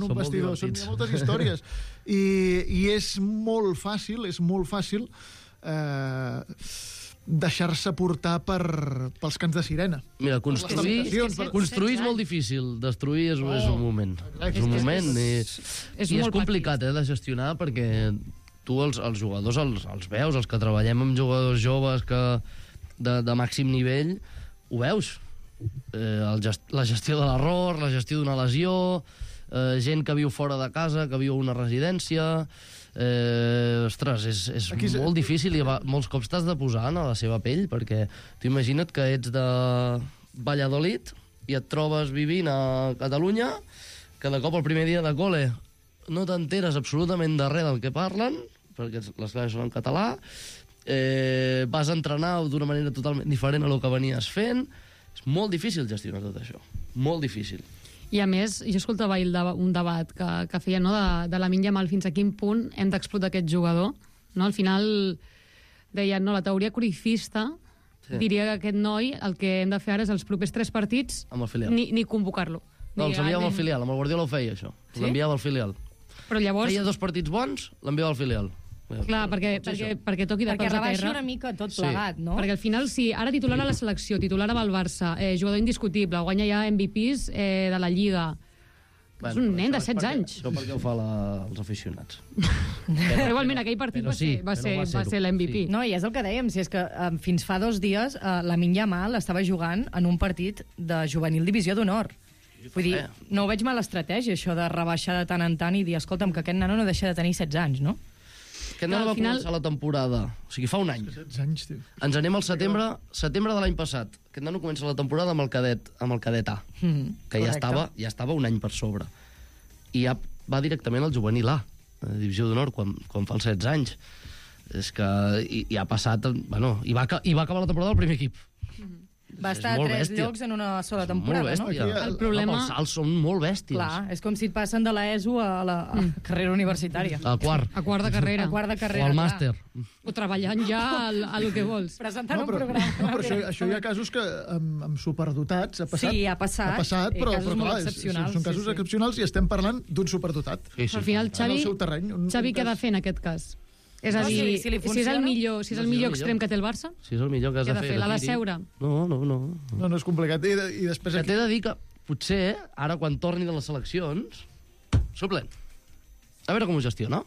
un vestidor. Hi ha moltes històries. I és molt fàcil deixar-se portar pels cants de sirena. Mira, construir és molt difícil, destruir és un moment. És un moment i és complicat de gestionar, perquè tu els jugadors els veus, els que treballem amb jugadors joves de màxim nivell, ho veus. La gestió de l'error, la gestió d'una lesió, gent que viu fora de casa, que viu a una residència... Ostres, és molt difícil i molts cops t'has de posar a la seva pell, perquè tu imagina't que ets de Valladolid i et trobes vivint a Catalunya, que de cop el primer dia de col·le no t'enteres absolutament de res del que parlen, perquè les classes són en català, vas a entrenar d'una manera totalment diferent a lo que venies fent. És molt difícil gestionar tot això, molt difícil. I a més, jo escoltava un debat que feia, no, de Lamine Yamal, fins a quin punt hem d'explotar aquest jugador. No? Al final deien, no, la teoria cruyffista diria que aquest noi el que hem de fer ara és els propers 3 partits ni convocar-lo. No, els enviava al filial, amb el Guardiola ho feia, això. L'enviava al filial. Però llavors... Feia 2 partits bons, l'enviava al filial. Clar, perquè toqui de peus a terra. Perquè rebaixi una mica tot plegat, no? Perquè al final, sí, ara titular a la selecció, titular amb el Barça, jugador indiscutible, guanya ja MVPs de la Lliga. És un nen de 16 anys. Això perquè ho fa els aficionats. Però igualment aquell partit va ser l'MVP. No, i és el que dèiem, si és que fins fa 2 dies Lamine Yamal estava jugant en un partit de juvenil divisió d'honor. Vull dir, no ho veig mala estratègia, això de rebaixar de tant en tant i dir, escolta'm, que aquest nano no deixa de tenir 16 anys, no? Aquest nano va començar la temporada, o sigui, fa un any. 16 anys, tio. Ens anem al setembre de l'any passat. Aquest nano comença la temporada amb el cadet A, que ja estava un any per sobre. I ja va directament al juvenil A, a divisió d'honor, quan fa els 16 anys. És que i ha passat... Bueno, i va acabar la temporada al primer equip. Va estar a 3 llocs en una sola temporada, no? El problema... Els salts són molt bèsties. Clar, és com si et passen de l'ESO a la carrera universitària. A quart. A quart de carrera. O al màster. O treballant ja a lo que vols. Presentant un programa. No, però això hi ha casos que amb superdotats ha passat. Sí, ha passat. Però casos clar, molt excepcionals. són casos excepcionals i estem parlant d'un superdotat. Al final, Xavi què ha de fer en aquest cas? És a dir, si és el millor extrem que té el Barça, si és el millor que has de fer, l'ha de seure. No. No, és complicat. I després que t'he de dir que potser, ara quan torni de les seleccions, suplent. A veure com ho gestiona.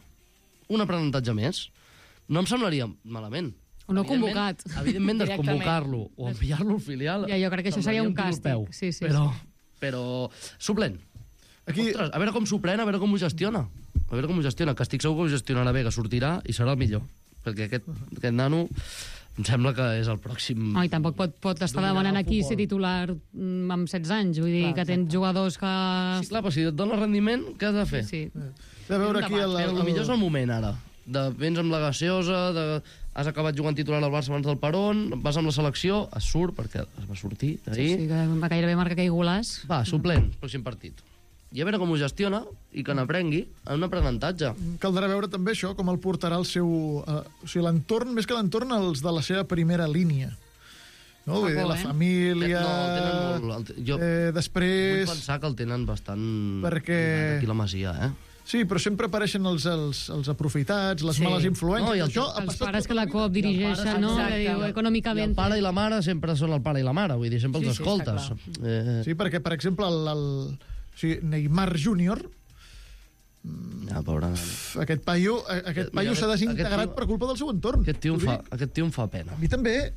Un aprenentatge més. No em semblaria malament. O no convocat. Evidentment, desconvocar-lo o enviar-lo al filial. Ja, jo crec que això seria un càstig. Sí. Però suplent. Ostres, a veure com s'ho pren, a veure com ho gestiona. A veure com ho gestiona, que estic segur que ho gestionarà bé, que sortirà i serà el millor. Perquè aquest nano em sembla que és el pròxim... I tampoc pot estar demanant aquí ser titular amb 16 anys. Vull dir que tens jugadors que... Sí, clar, però si et dona rendiment, què has de fer? Sí. De veure aquí Però el millor és el moment, ara. Vens amb la gaseosa, has acabat jugant titular al Barça abans del Peron, vas amb la selecció, es surt, perquè es va sortir d'ahir. Sí, que va gairebé marcar aquell golàs. Va, suplent, pròxim partit. I a veure com ho gestiona i que n'aprengui en un aprenentatge. Caldrà veure també això, com el portarà el seu... o sigui, l'entorn, més que l'entorn, els de la seva primera línia. No? Vull dir, la família... Després... Vull pensar que el tenen bastant... Perquè... Aquí la Masia, Sí, però sempre apareixen els aprofitats, les males influències. Els pares que la COP dirigeixen, no? Econòmicament. El pare i la mare sempre són el pare i la mare, vull dir, sempre els escoltes. Sí, perquè, per exemple, Neymar Júnior, aquest paio s'ha desintegrat per culpa del seu entorn. Aquest tio em fa pena. A mi també.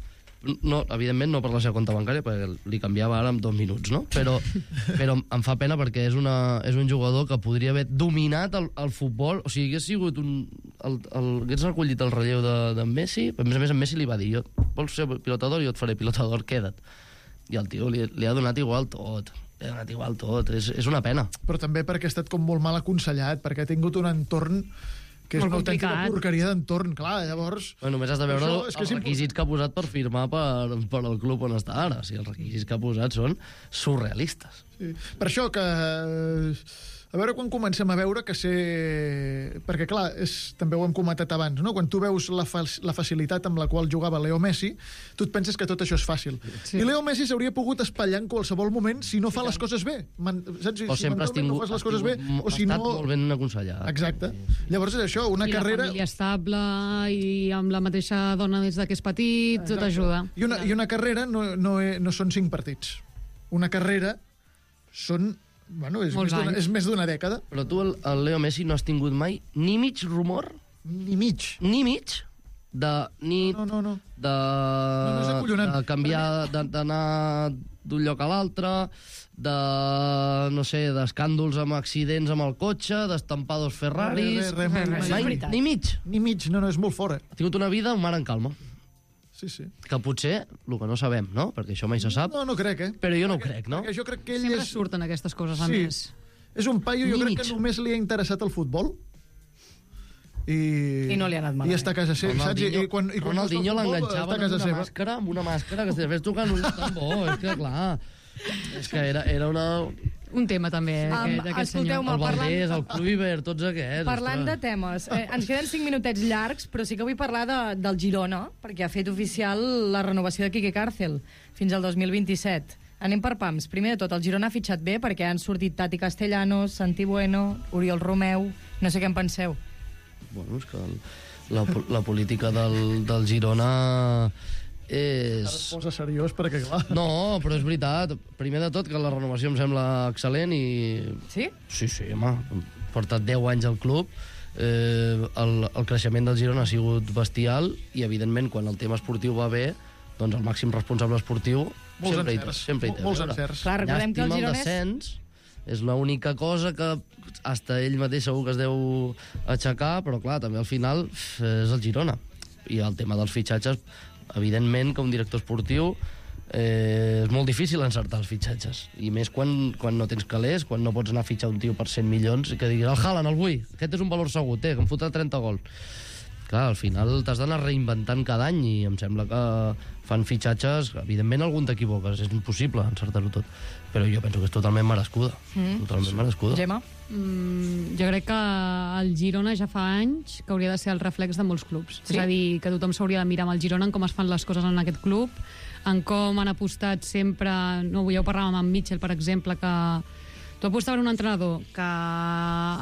No, evidentment no per la seva compte bancària, perquè li canviava ara en 2 minuts, no? Però em fa pena perquè és un jugador que podria haver dominat el futbol, o sigui, hagués sigut hagués recollit el relleu de Messi, a més en Messi li va dir, vols ser pilotador? Jo et faré pilotador, queda't. I el tio li ha donat igual tot. És una pena. Però també perquè ha estat com molt mal aconsellat, perquè ha tingut un entorn que és una autèntica porqueria d'entorn, clar, llavors... Només has de veure els requisits que ha posat per firmar per al club on està ara. O sigui, els requisits que ha posat són surrealistes. Sí. Per això que... A veure quan comencem a veure que perquè, clar, també ho hem comentat abans, no? Quan tu veus la facilitat amb la qual jugava Leo Messi, tu et penses que tot això és fàcil. Sí. I Leo Messi s'hauria pogut espatllar en qualsevol moment si no fa les coses bé. Saps? O sempre has tingut molt ben aconsellat. Exacte. Llavors és això, una carrera... I la família estable i amb la mateixa dona des que és petit, tot ajuda. I una carrera no són 5 partits. Una carrera són... Bueno, és més d'una dècada. Però tu, el Leo Messi, no has tingut mai ni mig rumor? Ni mig? Ni mig? De canviar, d'anar d'un lloc a l'altre, no sé, d'escàndols amb accidents amb el cotxe, d'estampar 2 Ferraris... Ni mig? Ni mig, no, és molt fora. Ha tingut una vida un mar en calma. Sí. Que potser, el que no sabem, no? Perquè això mai se sap. No crec, Però jo no ho crec, no? Jo crec que ell sempre surten aquestes coses, a més. És un paio, jo crec que només li ha interessat el futbol. I no li ha anat malament. I està a casa seva, saps? Ronaldinho l'enganxava amb una màscara que si fes tocar no és tan bo, és que clar... És que era un tema també, d'aquest senyor. El Valdés, el Kluivert, tots aquests. Parlant de temes, ens queden 5 minutets llargs, però sí que vull parlar del Girona, perquè ha fet oficial la renovació de Quique Cárcel fins al 2027. Anem per pams. Primer de tot, el Girona ha fitxat bé perquè han sortit Tati Castellanos, Santi Bueno, Oriol Romeu... No sé què en penseu. Bueno, és que la política del Girona Ara es posa seriós perquè, clar... No, però és veritat. Primer de tot, que la renovació em sembla excel·lent i... Sí? Sí, home. Porta 10 anys al club. El creixement del Girona ha sigut bestial i, evidentment, quan el tema esportiu va bé, doncs el màxim responsable esportiu sempre hi té. Molts encerts. Clar, recordem que el Girona és... descens és l'única cosa que hasta ell mateix segur que es deu aixecar, però clar, també al final és el Girona. I el tema dels fitxatges, evidentment que un director esportiu és molt difícil encertar els fitxatges, i més quan no tens calés, quan no pots anar a fitxar un tio per 100 milions i que diguis, el Haaland, el vull, aquest és un valor segur, que em fotrà 30 gols. Clar, al final t'has d'anar reinventant cada any i em sembla que fan fitxatges, evidentment algun t'equivoques, és impossible encertar-ho tot, però jo penso que és totalment merescuda. Totalment merescuda. Gemma? Jo crec que el Girona ja fa anys que hauria de ser el reflex de molts clubs. Sí? És a dir, que tothom s'hauria de mirar amb el Girona en com es fan les coses en aquest club, en com han apostat sempre... No, ja ho parlàvem amb Mitchell, per exemple, que tu apostes per un entrenador que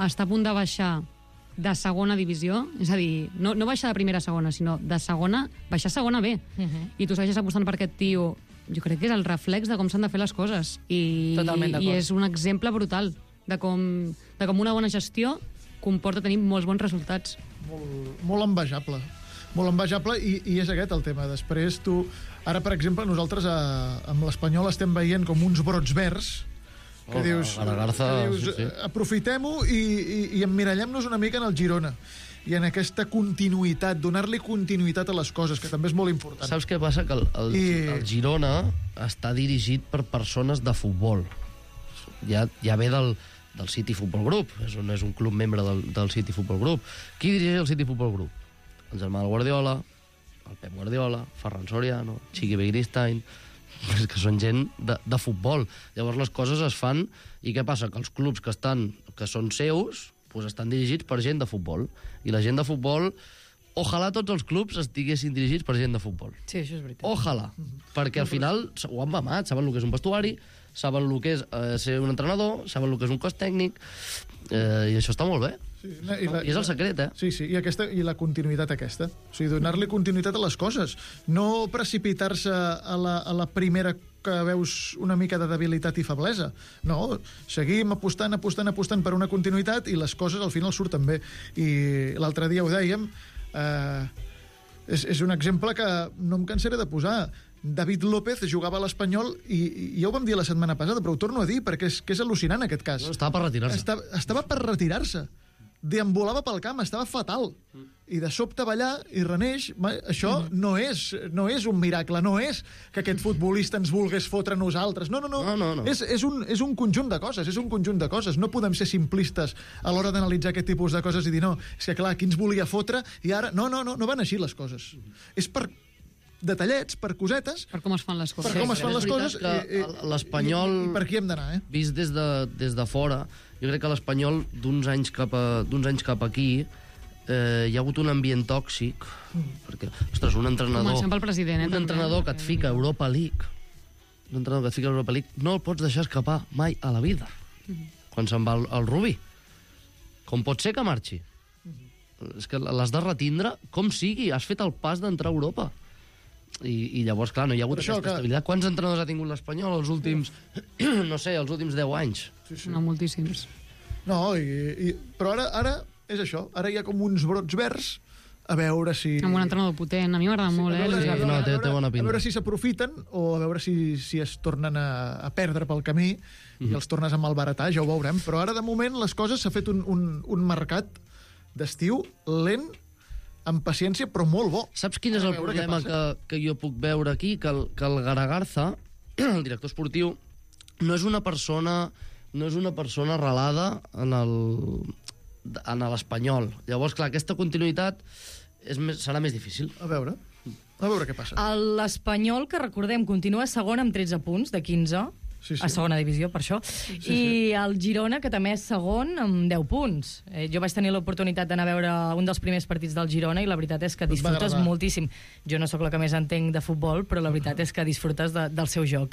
està a punt de baixar de segona divisió, és a dir, no baixar de primera a segona, sinó de segona, baixar a segona B. I tu segueixes apostant per aquest tio. Jo crec que és el reflex de com s'han de fer les coses. I és un exemple brutal de com una bona gestió comporta tenir molts bons resultats. Molt envejable. Molt envejable, i és aquest el tema. Després tu... Ara, per exemple, nosaltres amb l'Espanyol estem veient com uns brots verds que dius, aprofitem-ho i emmirallem-nos una mica en el Girona i en aquesta continuïtat, donar-li continuïtat a les coses, que també és molt important. Saps què passa? Que el Girona està dirigit per persones de futbol. Ja ve del City Football Group, és un club membre del City Football Group. Qui dirigeix el City Football Group? El germà del Guardiola, el Pep Guardiola, Ferran Soriano, Chiqui Begiristain, que són gent de futbol. Llavors les coses es fan, i què passa? Que els clubs que són seus doncs estan dirigits per gent de futbol, i la gent de futbol, ojalà tots els clubs estiguessin dirigits per gent de futbol. Sí, això és veritat. Ojalà, perquè al final ho han mamat, saben el que és un vestuari, saben el que és ser un entrenador, saben el que és un cos tècnic, i això està molt bé. I és el secret, Sí, i la continuïtat aquesta. O sigui, donar-li continuïtat a les coses. No precipitar-se a la primera que veus una mica de debilitat i feblesa. No, seguim apostant per una continuïtat i les coses al final surten bé. I l'altre dia ho dèiem, és un exemple que no em cansaré de posar. David López jugava a l'Espanyol i ja ho vam dir la setmana passada, però ho torno a dir perquè és al·lucinant aquest cas. Estava per retirar-se. Estava per retirar-se. Deambulava pel camp, estava fatal. I de sobte va allà i reneix. Això no és un miracle, no és que aquest futbolista ens volgués fotre a nosaltres. No. És un conjunt de coses, No podem ser simplistes a l'hora d'analitzar aquest tipus de coses i dir, no, és que clar, qui ens volia fotre i ara... No van així les coses. És per detallets, per cosetes... Per com es fan les coses. Per com es fan les coses. L'Espanyol... I per qui hem d'anar, Vist des de fora, jo crec que l'Espanyol d'uns anys cap aquí hi ha hagut un ambient tòxic, perquè, ostres, un entrenador... Comencem pel president, Un entrenador que et fica a Europa League, no el pots deixar escapar mai a la vida, quan se'n va el Rubí. Com pot ser que marxi? És que l'has de retindre com sigui, has fet el pas d'entrar a Europa. I llavors, clar, no hi ha hagut aquesta estabilitat. Quants entrenadors ha tingut l'Espanyol els últims, no sé, els últims 10 anys? No, moltíssims. No, però ara és això. Ara hi ha com uns brots verds, a veure si... Amb un entrenador potent, a mi m'agrada molt, té bona pinta. A veure si s'aprofiten o a veure si es tornen a perdre pel camí i els tornes a malbaratar, ja ho veurem. Però ara, de moment, les coses s'ha fet un mercat d'estiu lent, amb paciència, però molt bo. Saps quin és el problema que jo puc veure aquí? Que el Garagarza, el director esportiu, no és una persona arrelada en l'Espanyol. Llavors, clar, aquesta continuïtat serà més difícil. A veure què passa. L'Espanyol, que recordem, continua segon amb 13 punts de 15, a segona divisió, per això, i el Girona, que també és segon amb 10 punts. Jo vaig tenir l'oportunitat d'anar a veure un dels primers partits del Girona i la veritat és que disfrutes moltíssim. Jo no sóc la que més entenc de futbol, però la veritat és que disfrutes del seu joc.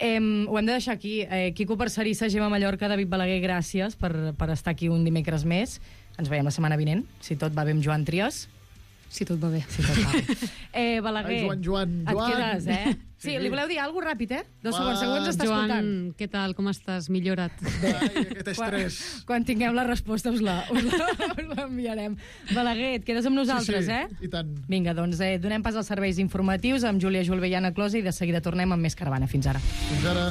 Ho hem de deixar aquí. Quico Parcerissa, Gemma Mallorca, David Balaguer, gràcies per estar aquí un dimecres més. Ens veiem la setmana vinent, si tot va bé amb Joan Trias. Si tot va bé. Si tot va bé. Balaguer, Ai, Joan. et quedes, Sí, li voleu dir alguna cosa ràpid, 2 segons, segur ens està Joan, escoltant. què tal, com estàs? Millora't. Ai, aquest estrès. Quan tinguem la resposta us l'enviarem. Balaguer, et quedes amb nosaltres, I tant. Vinga, doncs donem pas als serveis informatius amb Júlia Julve i Anna Closa i de seguida tornem amb més Caravana. Fins ara. Fins ara.